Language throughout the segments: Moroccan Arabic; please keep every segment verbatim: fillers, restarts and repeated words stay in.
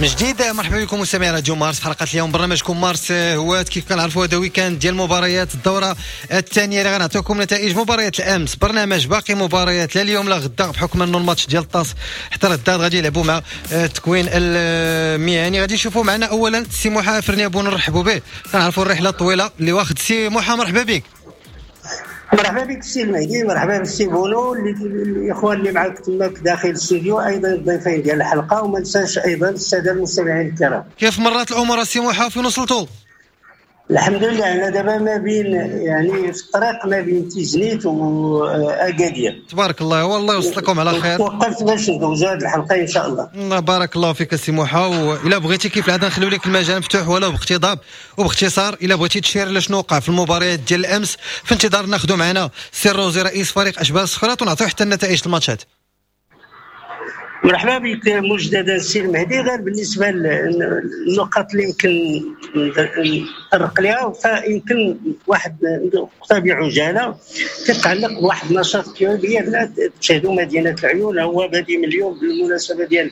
من جديد مرحبا بكم مستمعي راديو مارس في حلقة اليوم برنامجكم مارس هوات. كيف كنعرفوا هذا week-end ديال مباريات الدورة الثانية اللي غنعطيكم نتائج مباريات الامس. برنامج باقي مباريات لا اليوم لا غدا، بحكم انه الماتش ديال الطاس حتى غدا غادي يلعبوا مع التكوين المهني. غادي نشوفوا معنا اولا سي موحى فرني بونو، نرحبوا به. كنعرفوا الرحلة الطويلة اللي واخد سي موحى، مرحبا بك. مرحبا بك السي المهدي، مرحبا بالسي بونو، الاخوان اللي معك تماك داخل الاستوديو، ايضا الضيفين ديال الحلقة، وما ننساش ايضا السادة المستمعين الكرام. كيف مرات الامور السي موحى، فين وصلتوا؟ الحمد لله، انا دابا ما بين يعني في الطريق ما بين تيزنيت واكادير. تبارك الله، والله يوصلكم على خير. وقفت باش ندوز هذه الحلقة ان شاء الله. الله بارك الله فيك السي موحى، والا بغيتي كيف العادة نخليو لك المجال مفتوح ولو باقتضاب وباختصار، الا بغيتي تشير لشنو وقع في المباريات ديال الامس، في انتظار ناخذ معنا السي الروزي رئيس فريق اشبال الصخرات ونعطيو حتى النتائج الماتشات. مرحبا بك مجددا السي المهدي. غير بالنسبة للنقاط اللي يمكن نطرق لها، فيمكن واحد النقطة بعجاله تتعلق بواحد النشاط كبير تشهدوا مدينة العيون، هو بادي من اليوم بالمناسبة ديال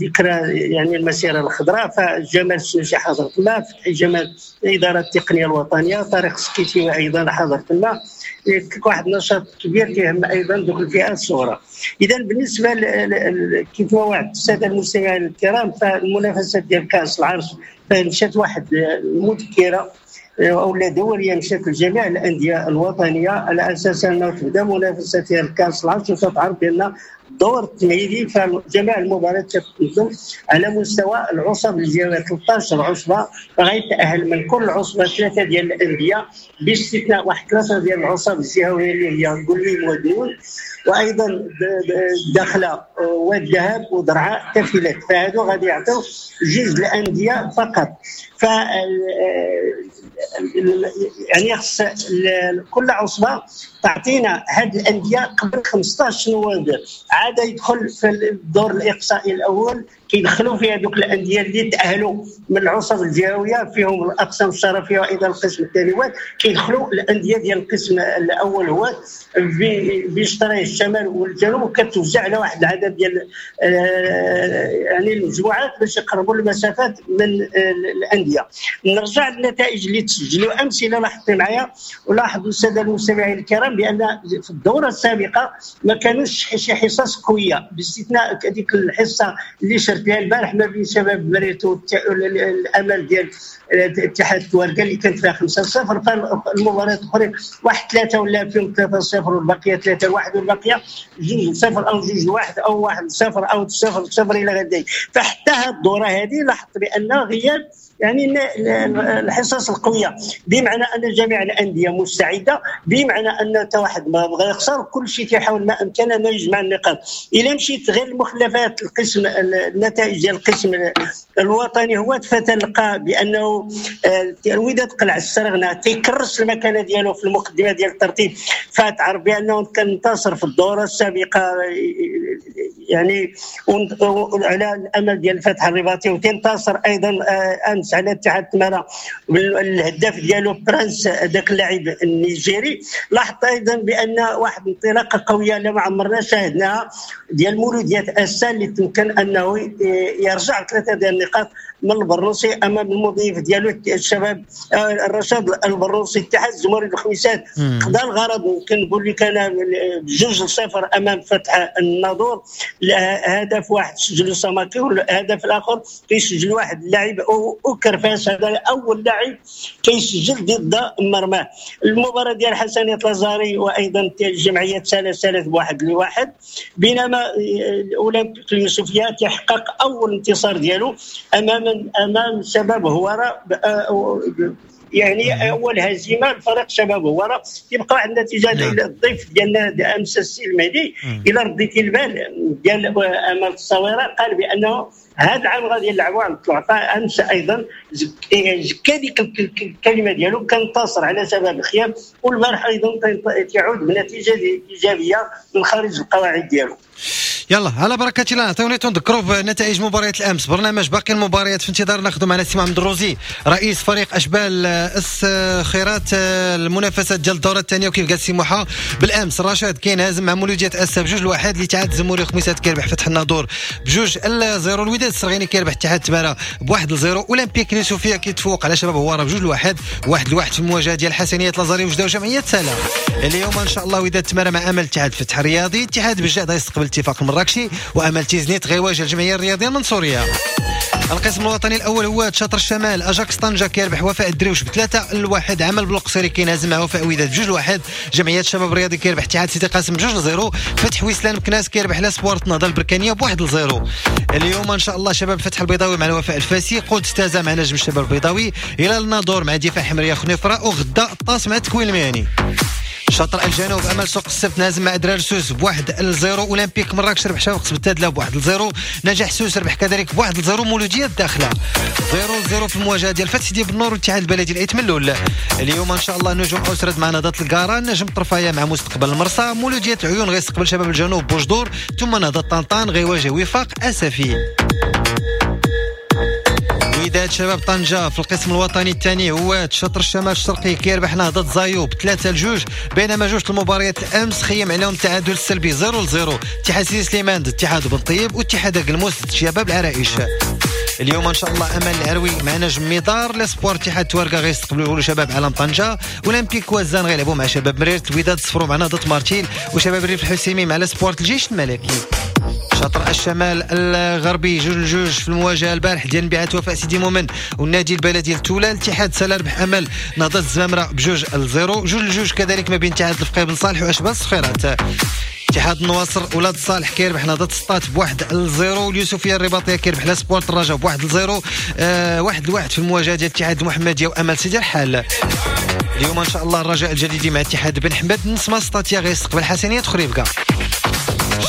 ذكرى يعني المسيرة الخضراء. فجمال السنوسي حاضر تما، فتحي جمال الادارة التقنية الوطنية، طارق السكيتي ايضا حاضر تما. واحد النشاط كبير كيهم ايضا دوك الفئات الصغرى. اذا بالنسبة كيف ما وعدت السادة المستمعين الكرام، فالمنافسات ديال كاس العرش فمشات واحد المذكرة او لا دورية مشات لجميع الاندية الوطنية على اساس انه تبدا منافسه ديال كاس العرش، وتتعرف بان الدور التمهيدي فجميع المباريات تتنظم على مستوى العصب الجهوية ثلاثة عشر عصبه، فغيتاهل من كل عصبه ثلاثة ديال الاندية باستثناء واحد ثلاثة ديال العصب الجهوية اللي هي قليم وديون، وايضا الداخلة والذهب ودرعاء تفيلات، فهادو غادي يعطيو جوج الاندية فقط. ف يعني خص كل عصبه تعطينا هاد الاندية قبل خمسة عشر نوفمبر، عاد يدخل في الدور الاقصائي الاول كيدخلوا فيها دوك الاندية اللي تاهلوا من العصب الجهوية فيهم الاقسام الشرفيه وايضا القسم الثاني، كيدخلوا الاندية ديال القسم الاول هو بيشتري الشمال والجنوب، وكتوزع على واحد العدد ديال يعني المجموعات باش يقربوا المسافات من الاندية. نرجع للنتائج اللي تسجلوا امس، الى لاحظتي معايا ولاحظوا السادة المستمعين الكرام بان في الدورة السابقة ما كانوش شي حصص قوية باستثناء هذيك الحصة اللي شرت لها البارح ما بين شباب مريتو الامل ديال اتحاد التواركه اللي كانت فيها خمسة صفر. فالمباريات الاخرين واحد ثلاثة ولا فيهم ثلاثة صفر والبقية ثلاثة واحد والبقية جوج صفر او جوج واحد او واحد صفر او صفر صفر الى غير ذلك. فحتى هذه الدورة هذه لاحظت بان غياب يعني الحصص القوية، بمعنى ان جميع الاندية مستعدة، بمعنى ان حتى واحد ما بغى يخسر، كل شيء كيحاول ما امكن انه يجمع النقاط. الا مشيت غير المخلفات القسم النتائج ديال القسم الوطني هو فتلقى بانه الوداد قلع السرغنه تيكرس المكانة ديالو في المقدمة ديال الترتيب، فتعرف بانه كان انتصر في الدورة السابقة يعني على الامل ديال الفتح الرباطي، وتنتصر ايضا امس على اتحاد تمارا بالهداف ديالو برانس ذاك اللاعب النيجيري. لاحظت ايضا بان واحد الانطلاقة قوية اللي ما عمرنا شاهدناها ديال مولوديه اسا اللي تمكن انه يرجع ثلاثة ديال النقاط من البرنوسي امام المضيف ديالو الشباب الرشاد البرنوسي. اتحاد الزمرد الخميسات قضى الغرض، ممكن نقول لك انا بجوج لصفر امام فتح الناظور، هدف واحد سجلوا ساماكي والهدف الاخر كيسجل واحد اللاعب وكرفاس، هذا اول لاعب كيسجل ضد مرماه. المباراة ديال حسنيه لازاري وايضا جمعية سالا بواحد لواحد، بينما اولمبيك اليوسفيه تحقق اول انتصار ديالو امام امام شباب هواره، يعني اول هزيمة لفريق شباب هواره. تبقى واحد النتيجة الضيف ديالنا امس السي المهدي الى رديتي البال ديال امال الصويره قال بانه هذا العام غادي يلعبوا على الطلوع، فامس ايضا زكا ديك الكلمة ديالو كنتصر على شباب الخيام، والبارح ايضا تعود بنتيجة ايجابية من خارج القواعد ديالو. يلا على بركة الله، عطيوني تنذكروا بنتائج مباريات الامس. برنامج باقي المباريات في انتظار ناخذ معنا السي محمد الروزي رئيس فريق اشبال الصخيرات، المنافسات ديال الدورة الثانية. وكيف قال السي موحى بالامس رشاد كينهزم مع مولوديه اسا بجوج لواحد، الاتحاد الزموري خميسات كيربح فتح الناظور بجوج لزيرو، الوداد السرغيني كيربح اتحاد تماره بواحد لزيرو، اولمبيك اليوسفيه كيتفوق على شباب هواره بجوج لواحد، واحد لواحد في المواجهة ديال حسنيه لازاري وجده وجمعية سلا. اليوم ان شاء الله وداد تماره مع امل اتحاد فتح الرياضي، اتحاد بجاد يستقبل اتفاق المراكشي، وامل تيزنيت غيواجه الجمعية الرياضية المنصوريه. القسم الوطني الاول هو شطر الشمال، اجاكس طنجه كيربح وفاء الدريوش بثلاثة لواحد، عمل بالقصيري كينهزم مع وفاء وداد بجوج لواحد، جمعية الشباب الرياضي كيربح اتحاد سيدي قاسم بجوج لزيرو، فتح ويسلان مكناس كيربح l'Espoir النهضة البركانيه بواحد لزيرو. اليوم ان شاء الله شباب فتح البيضاوي مع الوفاء الفاسي، قدس تازا مع نجم الشباب البيضاوي، الى الناظور مع دفاع حمريه خنيفره، وغدا الطاس مع التكوين المهني. شاطر الجنوب امل سوق السبت نازل مع ادرار سوس بواحد لزيرو، اولمبيك مراكش ربح شباب قصبة تادله بواحد لزيرو، نجاح سوس ربح كذلك بواحد لزيرو، مولوديه الداخلة زيرو زيرو في المواجهة ديال فتح ديال بالنور والاتحاد البلدي الايت ملول. اليوم ان شاء الله نجوم اوسرد مع نهضة الكاره، نجم طرفايه مع مستقبل المرسى، مولوديه العيون غيستقبل شباب الجنوب بوجدور، ثم نهضة طنطان غيواجه وفاق اسفي. وداد شباب طنجة في القسم الوطني الثاني هو شطر الشمال الشرقي كيربح نهضة زايو بثلاثة لجوج، بينما جوج المباريات الامس خيم عليهم التعادل السلبي صفر لصفر، اتحاد سيدي سليمان ضد اتحاد بن طيب، واتحاد قلموس ضد شباب العرائش. اليوم ان شاء الله امل العروي مع نجم ميدار، l'Espoir اتحاد تواركا غيستقبلوا شباب عالم طنجة، اولمبيك وزان غيلعبوا مع شباب مريرت، الوداد صفرو مع نهضة مارتيل، وشباب الريف الحسيمي مع l'Espoir الجيش الملكي. شطر الشمال الغربي جوج لجوج في المواجهة البارح ديال انبعاث وفاء سيدي مومن والنادي البلدي التولى، الاتحاد سلا ربح امل نهضة الزمامره بجوج لزيرو، جوج لجوج كذلك ما بين اتحاد الفقيه بن صالح واشبال الصخيرات. اتحاد النواصر ولاد صالح كيربح نهضة سطات بواحد لزيرو، اليوسفيه الرباطيه كيربح l'Espoir الرجاء بواحد لزيرو، آه واحد لواحد في المواجهة ديال اتحاد المحمدية وامل سيدي الحال. اليوم ان شاء الله الرجاء الجديدي مع اتحاد بن حمد، نسمه سطاتيه غيستقبل حسنيه خريبكه.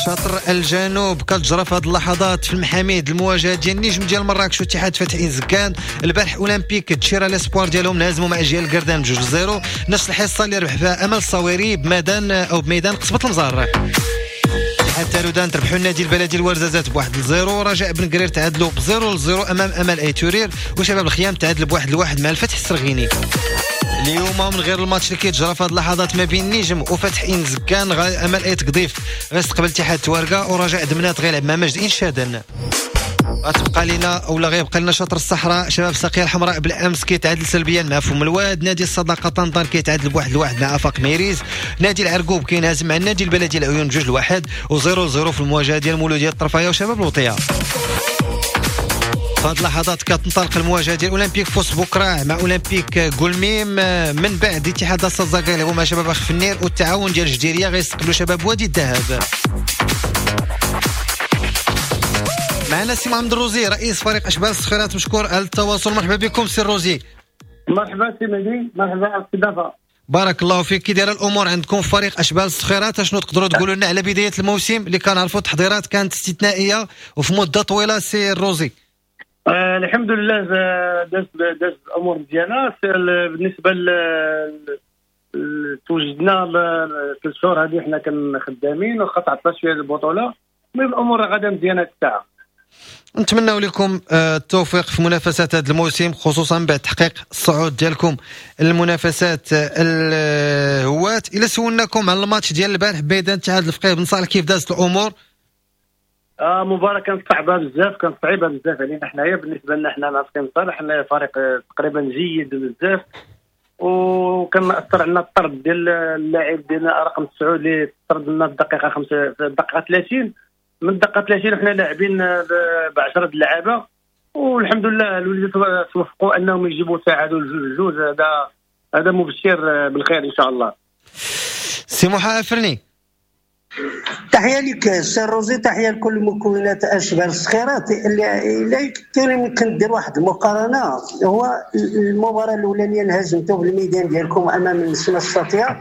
شطر الجنوب كتجرى في هذه اللحظات في المحاميد المواجهة ديال النجم ديال مراكش واتحاد فتح انزكان. البارح اولمبيك تشيرا l'Espoir ديالهم نهزموا مع جيال الكردان بجوج لزيرو، نفس الحصة اللي ربح فيها امل الصويري بميدان او بميدان قصبه المزار. اتحاد تارودان تربحوا النادي البلدي الورزازات بواحد لزيرو، رجاء بن قرير تعادلوا بزيرو لزيرو امام امل ايتورير، وشباب الخيام تعادل بواحد لواحد مع الفتح السرغيني. اليوم من غير الماتش اللي كيتجرى في هذه اللحظات ما بين النجم وفتح انزكان، امل ايت قضيف غيستقبل اتحاد تواركا، ورجاء دمنات غيلعب مع مجد انشادا. غتبقى لنا ولا غيبقى لنا شطر الصحراء، شباب الساقيه الحمراء بالامس كيتعادل سلبيا مع فم الواد، نادي الصداقة طنطان كيتعادل بواحد لواحد مع افاق ميريز، نادي العرقوب كينهزم مع النادي البلدي العيون بجوج لواحد، وزيرو زيرو في المواجهة ديال مولوديه الطرفايه وشباب الوطية. في هذه اللحظات كتنطلق المواجهة ديال اولمبيك فوس بكره مع اولمبيك قلميم، من بعد اتحاد الصزاقه يلعبوا مع شباب اخفنير، والتعاون ديال الجديريه غيستقبلوا شباب وادي الذهب. معنا سي محمد الروزي رئيس فريق اشبال الصخيرات، مشكور على التواصل. مرحبا بكم سي الروزي. مرحبا سي مهدي، مرحبا على الاستضافة. بارك الله فيك. كي دايرة الامور عندكم في فريق اشبال الصخيرات؟ اشنو تقدروا تقولوا لنا على بداية الموسم اللي كنعرفوا التحضيرات كانت استثنائية وفي مده طويلة سي الروزي؟ آه الحمد لله داز داز الامور مزيانه. بالنسبة ل توجدنا ثلاث شهور هذه حنا كنا خدامين، وخا تعطلت شوية البطولة، المهم الامور غادا مزيانه الساعة. نتمنى لكم التوفيق في منافسات هذا الموسم، خصوصا بعد تحقيق الصعود ديالكم المنافسات الهواة. الى سولناكم على الماتش ديال البارح بميدان اتحاد الفقيه بن صالح، كيف دازت الامور؟ آه مباراة كانت صعبة بزاف، كانت صعيبة بزاف علينا حنايا. بالنسبة لنا حنا مع الفقيه بن صالح حنا فريق تقريبا جيد بزاف، وكان اثر علينا الطرد ديال اللاعب ديالنا رقم تسعة اللي طرد لنا في الدقيقة خمسة في الدقيقة ثلاثين. من الدقيقة ثلاثين حنا لاعبين بعشرة اللعابة، والحمد لله الوليدات توفقوا انهم يجيبوا تعادل جوج جوج. هذا هذا مبشر بالخير ان شاء الله. سي موحى افرني، تحية لك سي الروزي، تحية لكل مكونات اشبال الصخيرات. اللي كان يمكن دير واحد المقارنة، هو المباراة الاولانية انهزمتوا بالميدان ديالكم امام النسمه الساطيه،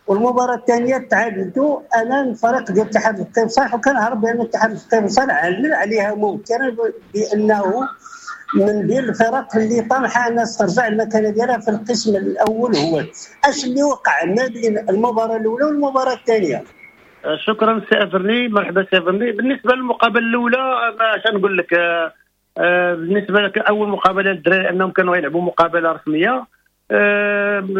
والمباراة الثانية تعادلتوا امام فريق ديال الاتحاد الفقيه بن صالح، وكان عرف بان الاتحاد الفقيه بن صالح علل عليها مبكرا بانه من بين الفرق اللي طامحه انها ترجع المكانة ديالها في القسم الاول. هو اش اللي وقع ما بين المباراة الاولى والمباراة الثانية؟ شكرا سي افرني، مرحبا سي افرني. بالنسبة للمقابله الاولى ما نقول لك، بالنسبة لك اول مقابله للدراري انهم كانوا يلعبوا مقابله رسمية،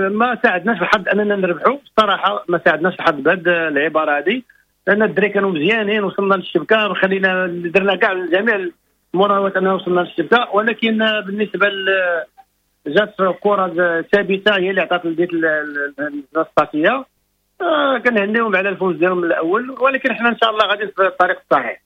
ما ساعدناش الحظ اننا نربحوا الصراحة، ما ساعدناش الحظ بهذه العبارة هذه، لان الدراري كانوا مزيانين، وصلنا للشبكه، خلينا درنا كاع جميع المراوغات اننا وصلنا للشبكه، ولكن بالنسبة جات كره ثابتة هي اللي عطات البيت السطاتيه. آه كنهنيهم على الفوز ديالهم الاول، ولكن حنا ان شاء الله غادي في الطريق الصحيح.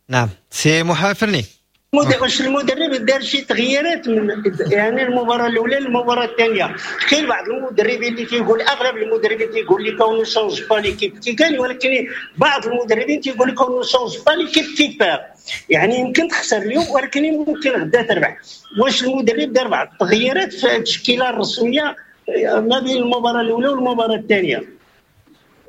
نعم سي محافرني، واش المدرب دار شي تغييرات من يعني المباراة الاولى للمباراة الثانية؟ كاين بعض المدربين اللي تيقول، اغلب المدربين تيقول لك on change pas l'équipe qui gagne، ولكن بعض المدربين تيقول لك on change pas l'équipe qui perd، يعني يمكن تخسر اليوم ولكن يمكن غدا تربح. واش المدرب دار بعض التغييرات في التشكيلة الرسمية ما بين المباراة الاولى والمباراة الثانية؟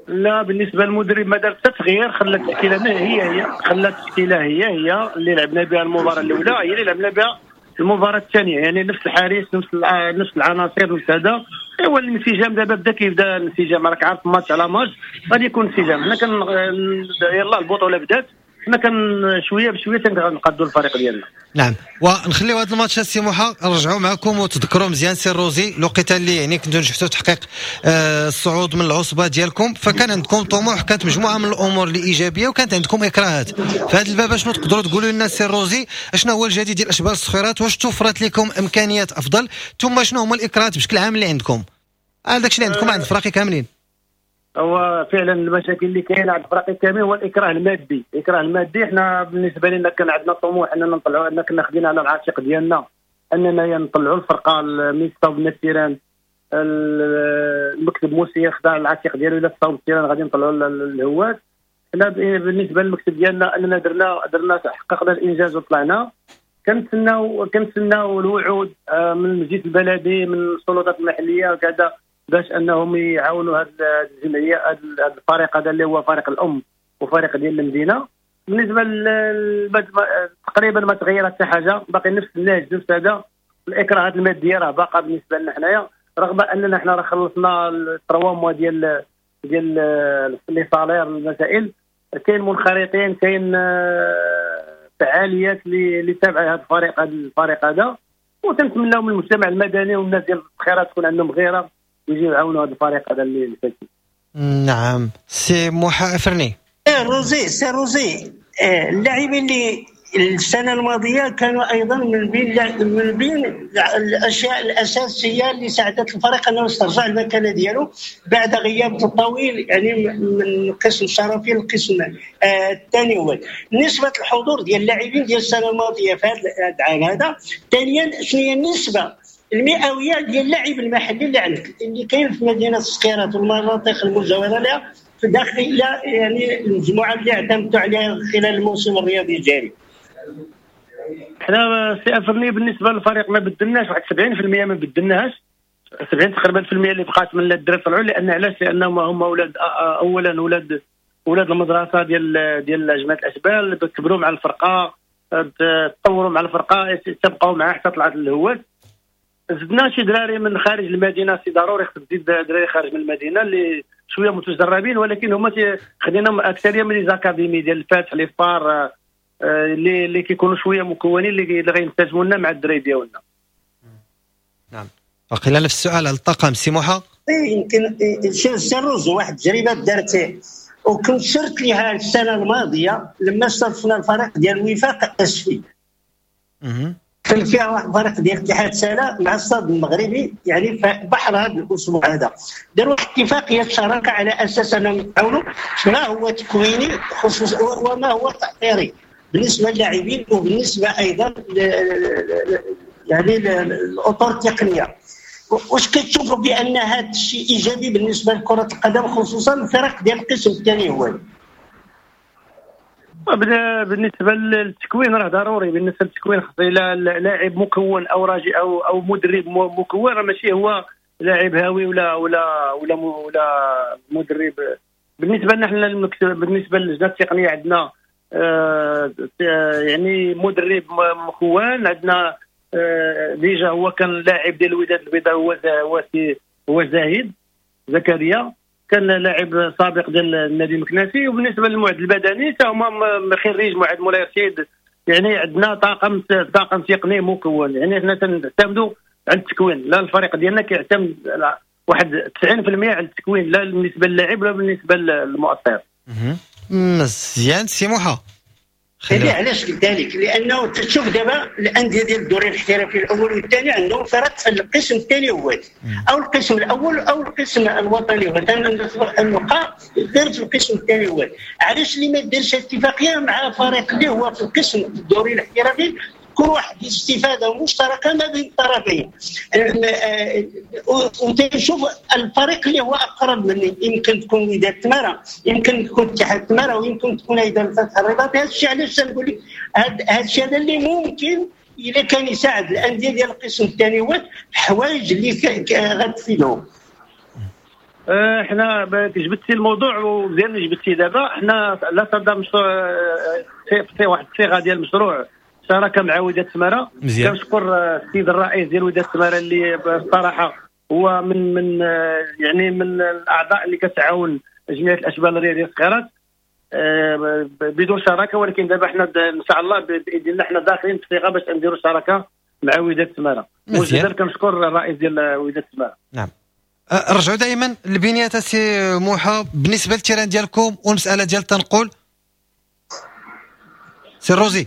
لا، بالنسبة للمدرب ما دار حتى تغيير، خلى التشكيلة هي هي، خلى التشكيلة هي هي اللي لعبنا بها المباراة الاولى هي اللي لعبنا بها المباراة الثانية، يعني نفس الحارس، نفس نفس العناصر، نفس هذا. ايوا الانسجام دابا بدا كيبدا الانسجام، راك عارف ماتش على ماتش غادي يكون انسجام. حنا كن يلاه البطولة بدات، حنا كن شوية بشوية تنقادوا الفريق ديالنا. نعم، ونخليو هذا الماتش السي موحى نرجعوا معكم وتذكروا مزيان سي الروزي الوقيته اللي يعني كنتوا نجحتوا تحقيق آه الصعود من العصبة ديالكم، فكان عندكم طموح، كانت مجموعة من الامور اللي ايجابية وكانت عندكم اكراهات. في هذا الباب شنو تقدروا تقولوا لنا سي الروزي، شنو هو الجديد ديال اشبال الصخيرات؟ واش توفرت لكم امكانيات افضل؟ ثم شنو هما الاكراهات بشكل عام اللي عندكم؟ هذاك الشيء اللي عندكم عند الفراقي كاملين. هو فعلا المشاكل اللي كاينه عند الفراقي كامل هو الاكراه المادي، الاكراه المادي. حنا بالنسبة لنا كان عندنا طموح اننا نطلعوا، اننا كنا خدينا على العاتق ديالنا اننا نطلعوا الفرقة ملي تصاوبنا ال terrain، المكتب موسير خدا العاتق ديالو، الا تصاوب ال terrain غادي نطلعوا الهوات. حنا بالنسبة للمكتب ديالنا اننا درنا درنا حققنا الانجاز وطلعنا. كنتسناو كنتسناو الوعود من المجلس البلدي، من السلطات المحلية وكذا، باش انهم يعاونوا هذه الجمعية، هذا الفريق هذا اللي هو فريق الام وفريق ديال المدينة. بالنسبة تقريبا ما تغيرت حتى حاجة، باقي نفس النهج نفس هذا. الاكراهات المادية راه باقا بالنسبة لنا حنايا، رغم اننا حنا راه خلصنا ال trois mois ديال ديال les salaires المسائل، كاين منخرطين، كاين فعاليات اللي تابعه هذا الفريق هذا الفريق هذا، وتنتمناو من المجتمع المدني والناس ديال الخيرات تكون عندهم غيره ويجيو يعاونوا هذا الفريق هذا اللي فات. نعم سي موحى افرني. روزي سي روزي، اللاعبين اللي السنة الماضية كانوا ايضا من بين من بين الاشياء الاساسية اللي ساعدت الفريق انه يسترجع المكانة ديالو بعد غياب طويل، يعني من القسم الشرفي للقسم الثاني. هو نسبه الحضور ديال اللاعبين ديال السنة الماضية في هذا العام هذا. ثانيا شنو هي النسبة المئويه ديال اللاعب المحلي اللي عندك اللي كاين في مدينة الصخيرات والمناطق المجاورة لها في داخل يعني المجموعة اللي اعتمدتوا عليها خلال الموسم الرياضي الجاري؟ حنا سي افرني بالنسبة للفريق ما بدلناش، واحد سبعين بالمئة ما بدلناهاش، سبعين تقريبا في المئة اللي بقات من الدراري طلعوا. لان علاش؟ لانهم هما اولاد، اولا اولاد اولاد المدرسة ديال ديال جماعة الاشبال، كبروا مع الفرقة، تطوروا مع الفرقة، تبقاو معها حتى طلعت الهوات. زدنا شي دراري من خارج المدينة، c'est ضروري خصك تزيد دراري خارج من المدينة اللي شوية متجربين، ولكن هما خديناهم اكثرية من les académies ديال الفاتح les FAR اللي اللي كيكونوا شوية مكونين اللي غينسجموا لنا مع الدراري ديالنا. نعم، باقي لنا نفس السؤال على الطاقم سي موحى. يمكن سي روز واحد التجربة دارت وكنت شرت لها السنة الماضية لما استضفنا الفريق ديال الوفاق اسفي. كان فيها واحد الفريق ديال اتحاد سلا مع الصاد المغربي، يعني في بحر هذا الاسبوع هذا داروا اتفاقية شراكة على اساس انهم يتعاونوا ما هو تكويني خصوصا وما هو تاطيري بالنسبة للاعبين وبالنسبة ايضا يعني الاطر التقنية. واش كتشوفوا بان هذا الشيء ايجابي بالنسبة لكرة القدم خصوصا الفرق ديال القسم الثاني؟ هو بالنسبة للتكوين راه ضروري. بالنسبة للتكوين خص الى لاعب مكون او راجع او او مدرب مكون، راه ماشي هو لاعب هاوي ولا ولا ولا ولا مدرب. بالنسبة لنا حنا بالنسبة للجنة التقنية عندنا آه يعني مدرب مكون، عندنا آه déjà هو كان لاعب ديال الوداد البيضاء، هو هو هو زاهد زكريا، كان لاعب سابق ديال النادي المكناسي. وبالنسبة للمعد البدني حتى هما خريج معهد مولاي رشيد. يعني عندنا طاقم طاقم تقني مكون، يعني حنا تنعتمدوا على التكوين. لا الفريق ديالنا كيعتمد واحد تسعين بالمية على التكوين، لا بالنسبة للاعب لا بالنسبة للمؤطر. مزيان سي موحى. هذه علاش قلت لك؟ لانه تشوف دابا الاندية ديال الدوري الاحترافي الاول والثاني عندهم فرق في القسم الثاني هو او القسم الاول او القسم الوطني، مثلا النقاط دارت في القسم الثاني هو. علاش اللي ما دارش اتفاقية مع فريق اللي هو في القسم الدوري الاحترافي تكون واحد الاستفادة مشتركة ما بين الطرفين؟ وتنشوف الفريق اللي هو اقرب مني، يمكن تكون وداد تمارة، يمكن تكون اتحاد تمارة، ويمكن تكون ايضا الفتح الرباطي. هذا الشيء علاش تنقول لك هذا الشيء هذا اللي ممكن اذا كان يساعد الاندية ديال القسم الثاني حوايج اللي غتفيدهم. احنا جبتي الموضوع ومزيان جبتي دابا. حنا لا صدى مشروع في واحد الصيغة ديال المشروع شراكة مع وداد تمارة. كنشكر السيد الرئيس ديال وداد تمارة اللي بصراحة هو من من يعني من الاعضاء اللي كتعاون جمعية الاشبال الرياضية الصغيرات بدون شراكة، ولكن دابا حنا ان شاء الله باذن الله حنا داخلين في صيغة باش نديروا شراكة مع وداد تمارة. وزيد كنشكر الرئيس ديال وداد تمارة. نعم، رجعوا دائما للبنيات سي موحى بالنسبة لل terrain ديالكم والمسالة ديال التنقل سي الروزي.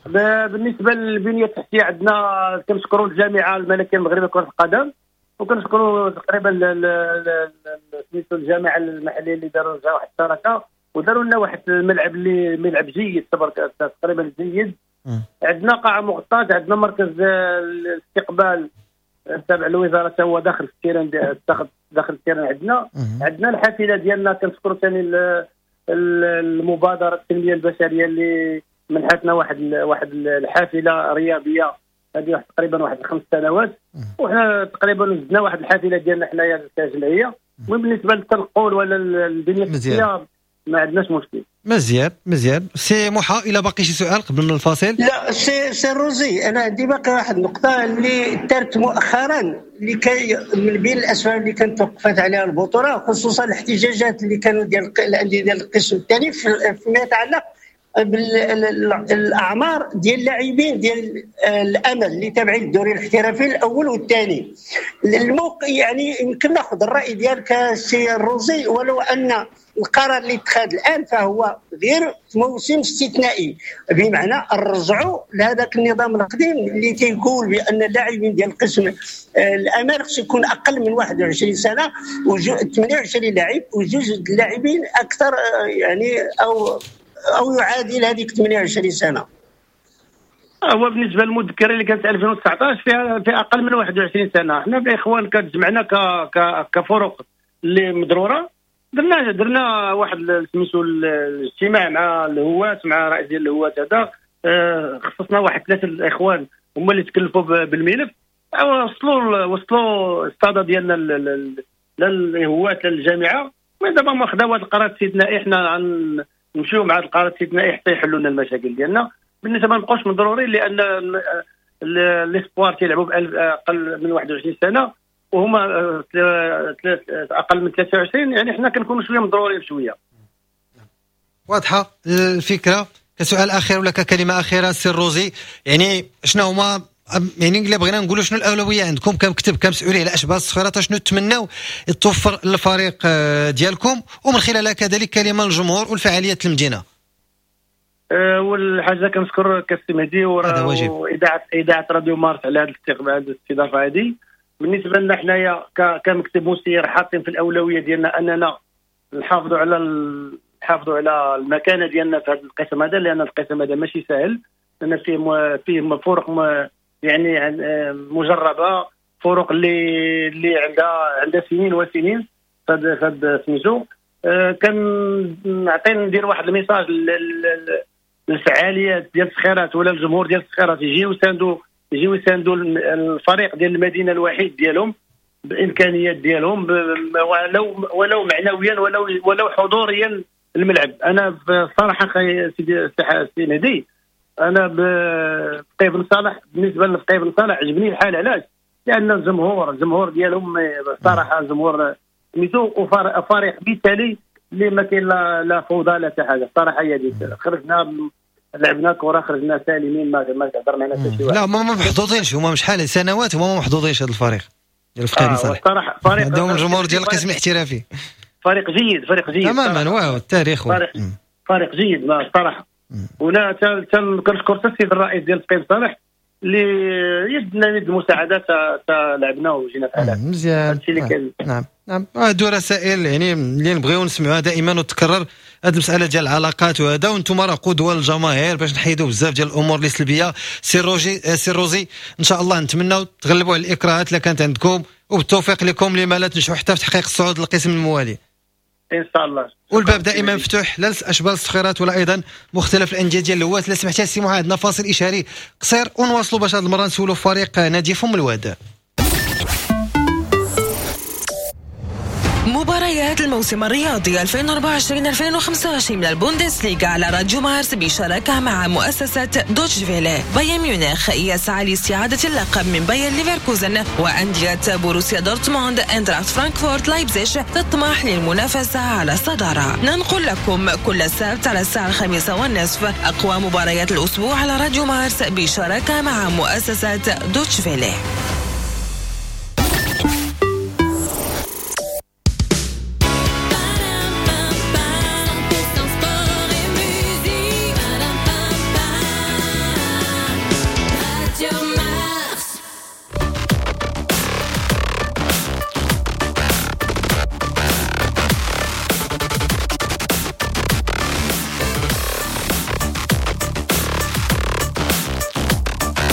بالنسبة للبنيه التحتية عندنا كنشكروا الجامعة الملكية المغربية لكرة القدم، وكنشكروا تقريبا سميتو الجامعة المحلية اللي داروا واحد الشراكة وداروا لنا واحد الملعب اللي ملعب جيد تقريبا جيد. عندنا قاعة مغطاة، عندنا مركز الاستقبال تابع للوزارة حتى هو داخل ال terrain، داخل ال terrain عندنا. عندنا الحافلة ديالنا، كنشكروا ثاني المبادرة التنمية البشرية اللي منحتنا واحد واحد الحافلة رياضية هذه واحد تقريبا واحد خمس سنوات، وحنا تقريبا زدنا واحد الحافلة ديالنا حنايا كجمعية. وبالنسبة للتنقل ولا البنية التحتية ما عندناش مشكل. مزيان مزيان سي موحى، الى باقي شي سؤال قبل من الفاصل؟ لا سي سي روزي، انا عندي باقي واحد النقطة اللي ترت مؤخرا اللي كي من بين الاسباب اللي كانت توقفت عليها البطولة، خصوصا الاحتجاجات اللي كانوا ديال الاندية ديال القسم الثاني فيما يتعلق بالاعمار ديال اللاعبين ديال الامل اللي تابعين الدوري الاحترافي الاول والثاني. الموقع يعني يمكن ناخذ الراي ديالك سي الروزي، ولو ان القرار اللي اتخذ الان فهو غير في موسم استثنائي، بمعنى رجعوا لهذاك النظام القديم اللي تيقول بان اللاعبين ديال القسم الامل خص يكون اقل من واحد وعشرين سنة و ثمانية وعشرين لاعب وجوج اللاعبين اكثر، يعني او او يعادل هذيك ثمانية وعشرين سنة. هو بالنسبة للمذكره اللي كانت ألفين وتسعطاش فيها في اقل من واحد وعشرين سنة. حنا الاخوان كتجمعنا ك كفرق اللي مضروره، درنا درنا واحد سميتو الاجتماع مع الهواة، مع رئيس ديال الهواة هذا. خصصنا واحد ثلاثة الاخوان هما اللي تكلفوا بالملف، وصلوا وصلوا الصاده ديالنا للهواة للجامعة. ودابا ما خداو هذا القرار الاستثنائي، حنا نمشيو مع القرار الاستثنائي حتى يحلوا لنا المشاكل ديالنا. بالنسبة ما نبقاوش مضرورين، لان les espoirs تيلعبوا باقل من واحد وعشرين سنة وهما اقل من ثلاثة وعشرين، يعني حنا كنكونوا شوية مضرورين شوية. واضحة الفكرة. كسؤال اخير ولا ككلمة اخيرة سي الروزي، يعني شنو هما يعني الا بغينا نقولوا شنو الاولوية عندكم كمكتب كمسؤوليه على اشبال الصخيرات، شنو تمناو يتوفر للفريق ديالكم، ومن خلالها كذلك كلمة للجمهور والفعاليات المدينة؟ اول حاجة كنشكر كاسي مهدي واذاعة اذاعة راديو مارس على هذا الاستقبال، هذه الاستضافة هذه. بالنسبة لنا حنايا كمكتب مسير حاطين في الاولوية ديالنا اننا نحافظوا على نحافظوا على المكانة ديالنا في هذا القسم هذا، لان القسم هذا ماشي سهل، لان فيه فيه فرق يعني مجربه، فرق اللي اللي عندها عندها سنين وسنين في هذا سميتو. كنعطي ندير واحد ال message للفعاليات ديال الصخيرات ولا الجمهور ديال الصخيرات يجيو يساندوا يجيو يساندوا الفريق ديال المدينة الوحيد ديالهم بالامكانيات ديالهم، ولو ولو معنويا ولو ولو حضوريا الملعب. انا بصراحة خي سيدي سي مهدي، انا بفقيه بن صالح، بالنسبة لفقيه بن صالح عجبني الحال. علاش؟ لان الجمهور الجمهور ديالهم بصراحة الجمهور سميتو وفريق مثالي اللي ما كاين لا لا فوضى لا حتى حاجة. الصراحة هي ديك خرجنا لعبنا كره خرجنا سالمين، ما ما هضرنا على حتى شي واحد. لا هما ما محظوظينش، هما شحال سنوات هما ما محظوظينش هذا الفريق ديال الفقيه بن صالح. الصراحة فريق عندهم الجمهور ديال القسم الاحترافي، فريق جيد، فريق جيد تماما، واو التاريخ فريق فريق جيد ما الصراحة. ولا حتى كنشكر حتى السيد الرئيس ديال الفقيه بن صالح اللي يدنا يد المساعدة تا لعبنا وجينا في حالات مزيان. هادشي اللي كاين. نعم نعم، هادو رسائل يعني اللي نبغيو نسمعوها دائما وتكرر، هاد المسالة ديال العلاقات وهذا، وانتم راه قدوة للجماهير باش نحيدوا بزاف ديال الامور اللي سلبية. سي روجي سي روزي ان شاء الله نتمناو تغلبوا على الاكراهات اللي كانت عندكم، وبالتوفيق لكم لما لا تنجحوا حتى في تحقيق الصعود للقسم الموالي ان شاء الله. والباب دائما مفتوح لا لاشبال الصخيرات ولا ايضا مختلف الاندية ديال الهواة. لا سمحتي سي معاذ، عندنا فاصل اشاري قصير ونواصلوا باش هذه المرة نسولوا فريق نادي فم الواد. مباريات الموسم الرياضي ألفين وأربعة وعشرين ألفين وخمسة وعشرين من البوندسليغا على راديو مارس بشراكة مع مؤسسة دوتش فيلي. بايرن ميونخ يسعى لاستعادة اللقب من بايرن ليفركوزن، وأندية بوروسيا دورتموند، اندراخت فرانكفورت، لايبزيش تطمح للمنافسة على الصدارة. ننقل لكم كل سبت على الساعة الخامسة والنصف أقوى مباريات الأسبوع على راديو مارس بشراكة مع مؤسسة دوتش فيلي.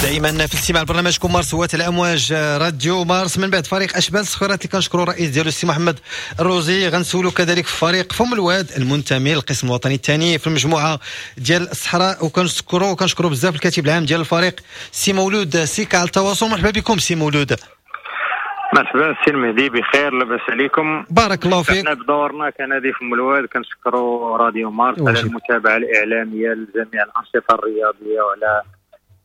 دائما في الاستماع لبرنامجكم مارس هواة الامواج راديو مارس. من بعد فريق اشبال الصخيرات اللي كنشكروا الرئيس ديالو السي محمد الروزي، غنسولوا كذلك في فريق فم الواد المنتمي للقسم الوطني الثاني في المجموعة ديال الصحراء، وكنشكروا وكنشكروا بزاف الكاتب العام ديال الفريق سي مولود سيكا على التواصل. مرحبا بكم سي مولود. مرحبا سي المهدي، بخير لاباس عليكم؟ بارك الله فيك. حنا بدورنا كنادي فم الواد كنشكروا راديو مارس على المتابعة الاعلامية لجميع الانشطة الرياضية وعلى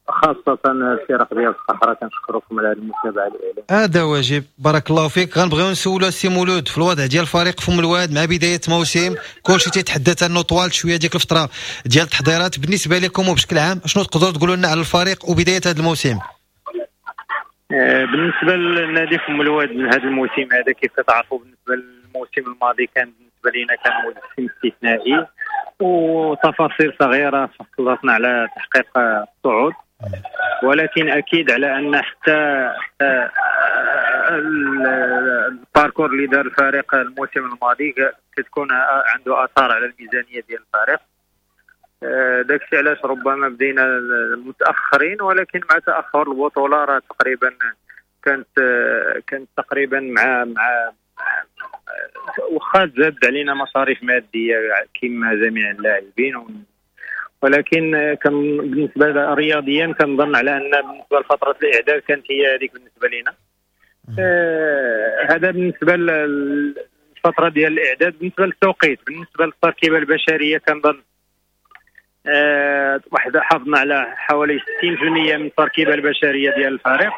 خاصة الفرق ديال الصحراء، كنشكركم على المتابعة الإعلامية. هذا واجب، بارك الله فيك. غنبغيو نسولو السي مولود في الوضع ديال فريق فم الواد مع بداية موسم، كلشي تيتحدث انه طوال شوية ديك الفترة ديال التحضيرات، بالنسبة لكم وبشكل عام شنو تقدروا تقولوا لنا على الفريق وبداية هذا الموسم؟ بالنسبة للنادي فم الواد هذا الموسم هذا كيف كتعرفوا بالنسبة للموسم الماضي كان بالنسبة لنا كان موسم استثنائي وتفاصيل صغيرة فصلتنا على تحقيق الصعود، ولكن اكيد على ان حتى حتى ال parcours اللي دار الفريق الموسم الماضي كتكون عنده اثار على الميزانية ديال الفريق. داكشي علاش ربما بدينا متاخرين، ولكن مع تاخر البطولة راه تقريبا كانت كانت تقريبا مع مع واخا زاد علينا مصاريف مادية كما جميع اللاعبين، ولكن كان بالنسبة رياضيا كنظن على ان بالنسبة لفترة الاعداد كانت هي هذيك بالنسبة لنا. آه هذا بالنسبة للفترة ديال الاعداد. بالنسبة للتوقيت، بالنسبة للتركيبه البشرية كنظن آه واحد حافظنا على حوالي ستين بالمئة من التركيبة البشرية ديال الفريق،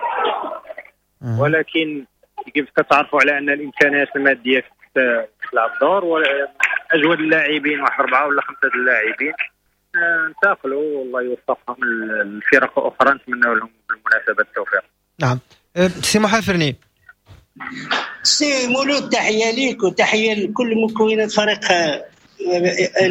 ولكن كيف كتعرفوا على ان الامكانيات المادية كتلعب دور، واجود اللاعبين واحد اربعة ولا خمسة اللاعبين انتقلوا والله يوفقهم الفرق الاخرى، نتمنى لهم بالمناسبة التوفيق. نعم سي محافرني. سي مولود، تحية ليك وتحية لكل مكونات فريق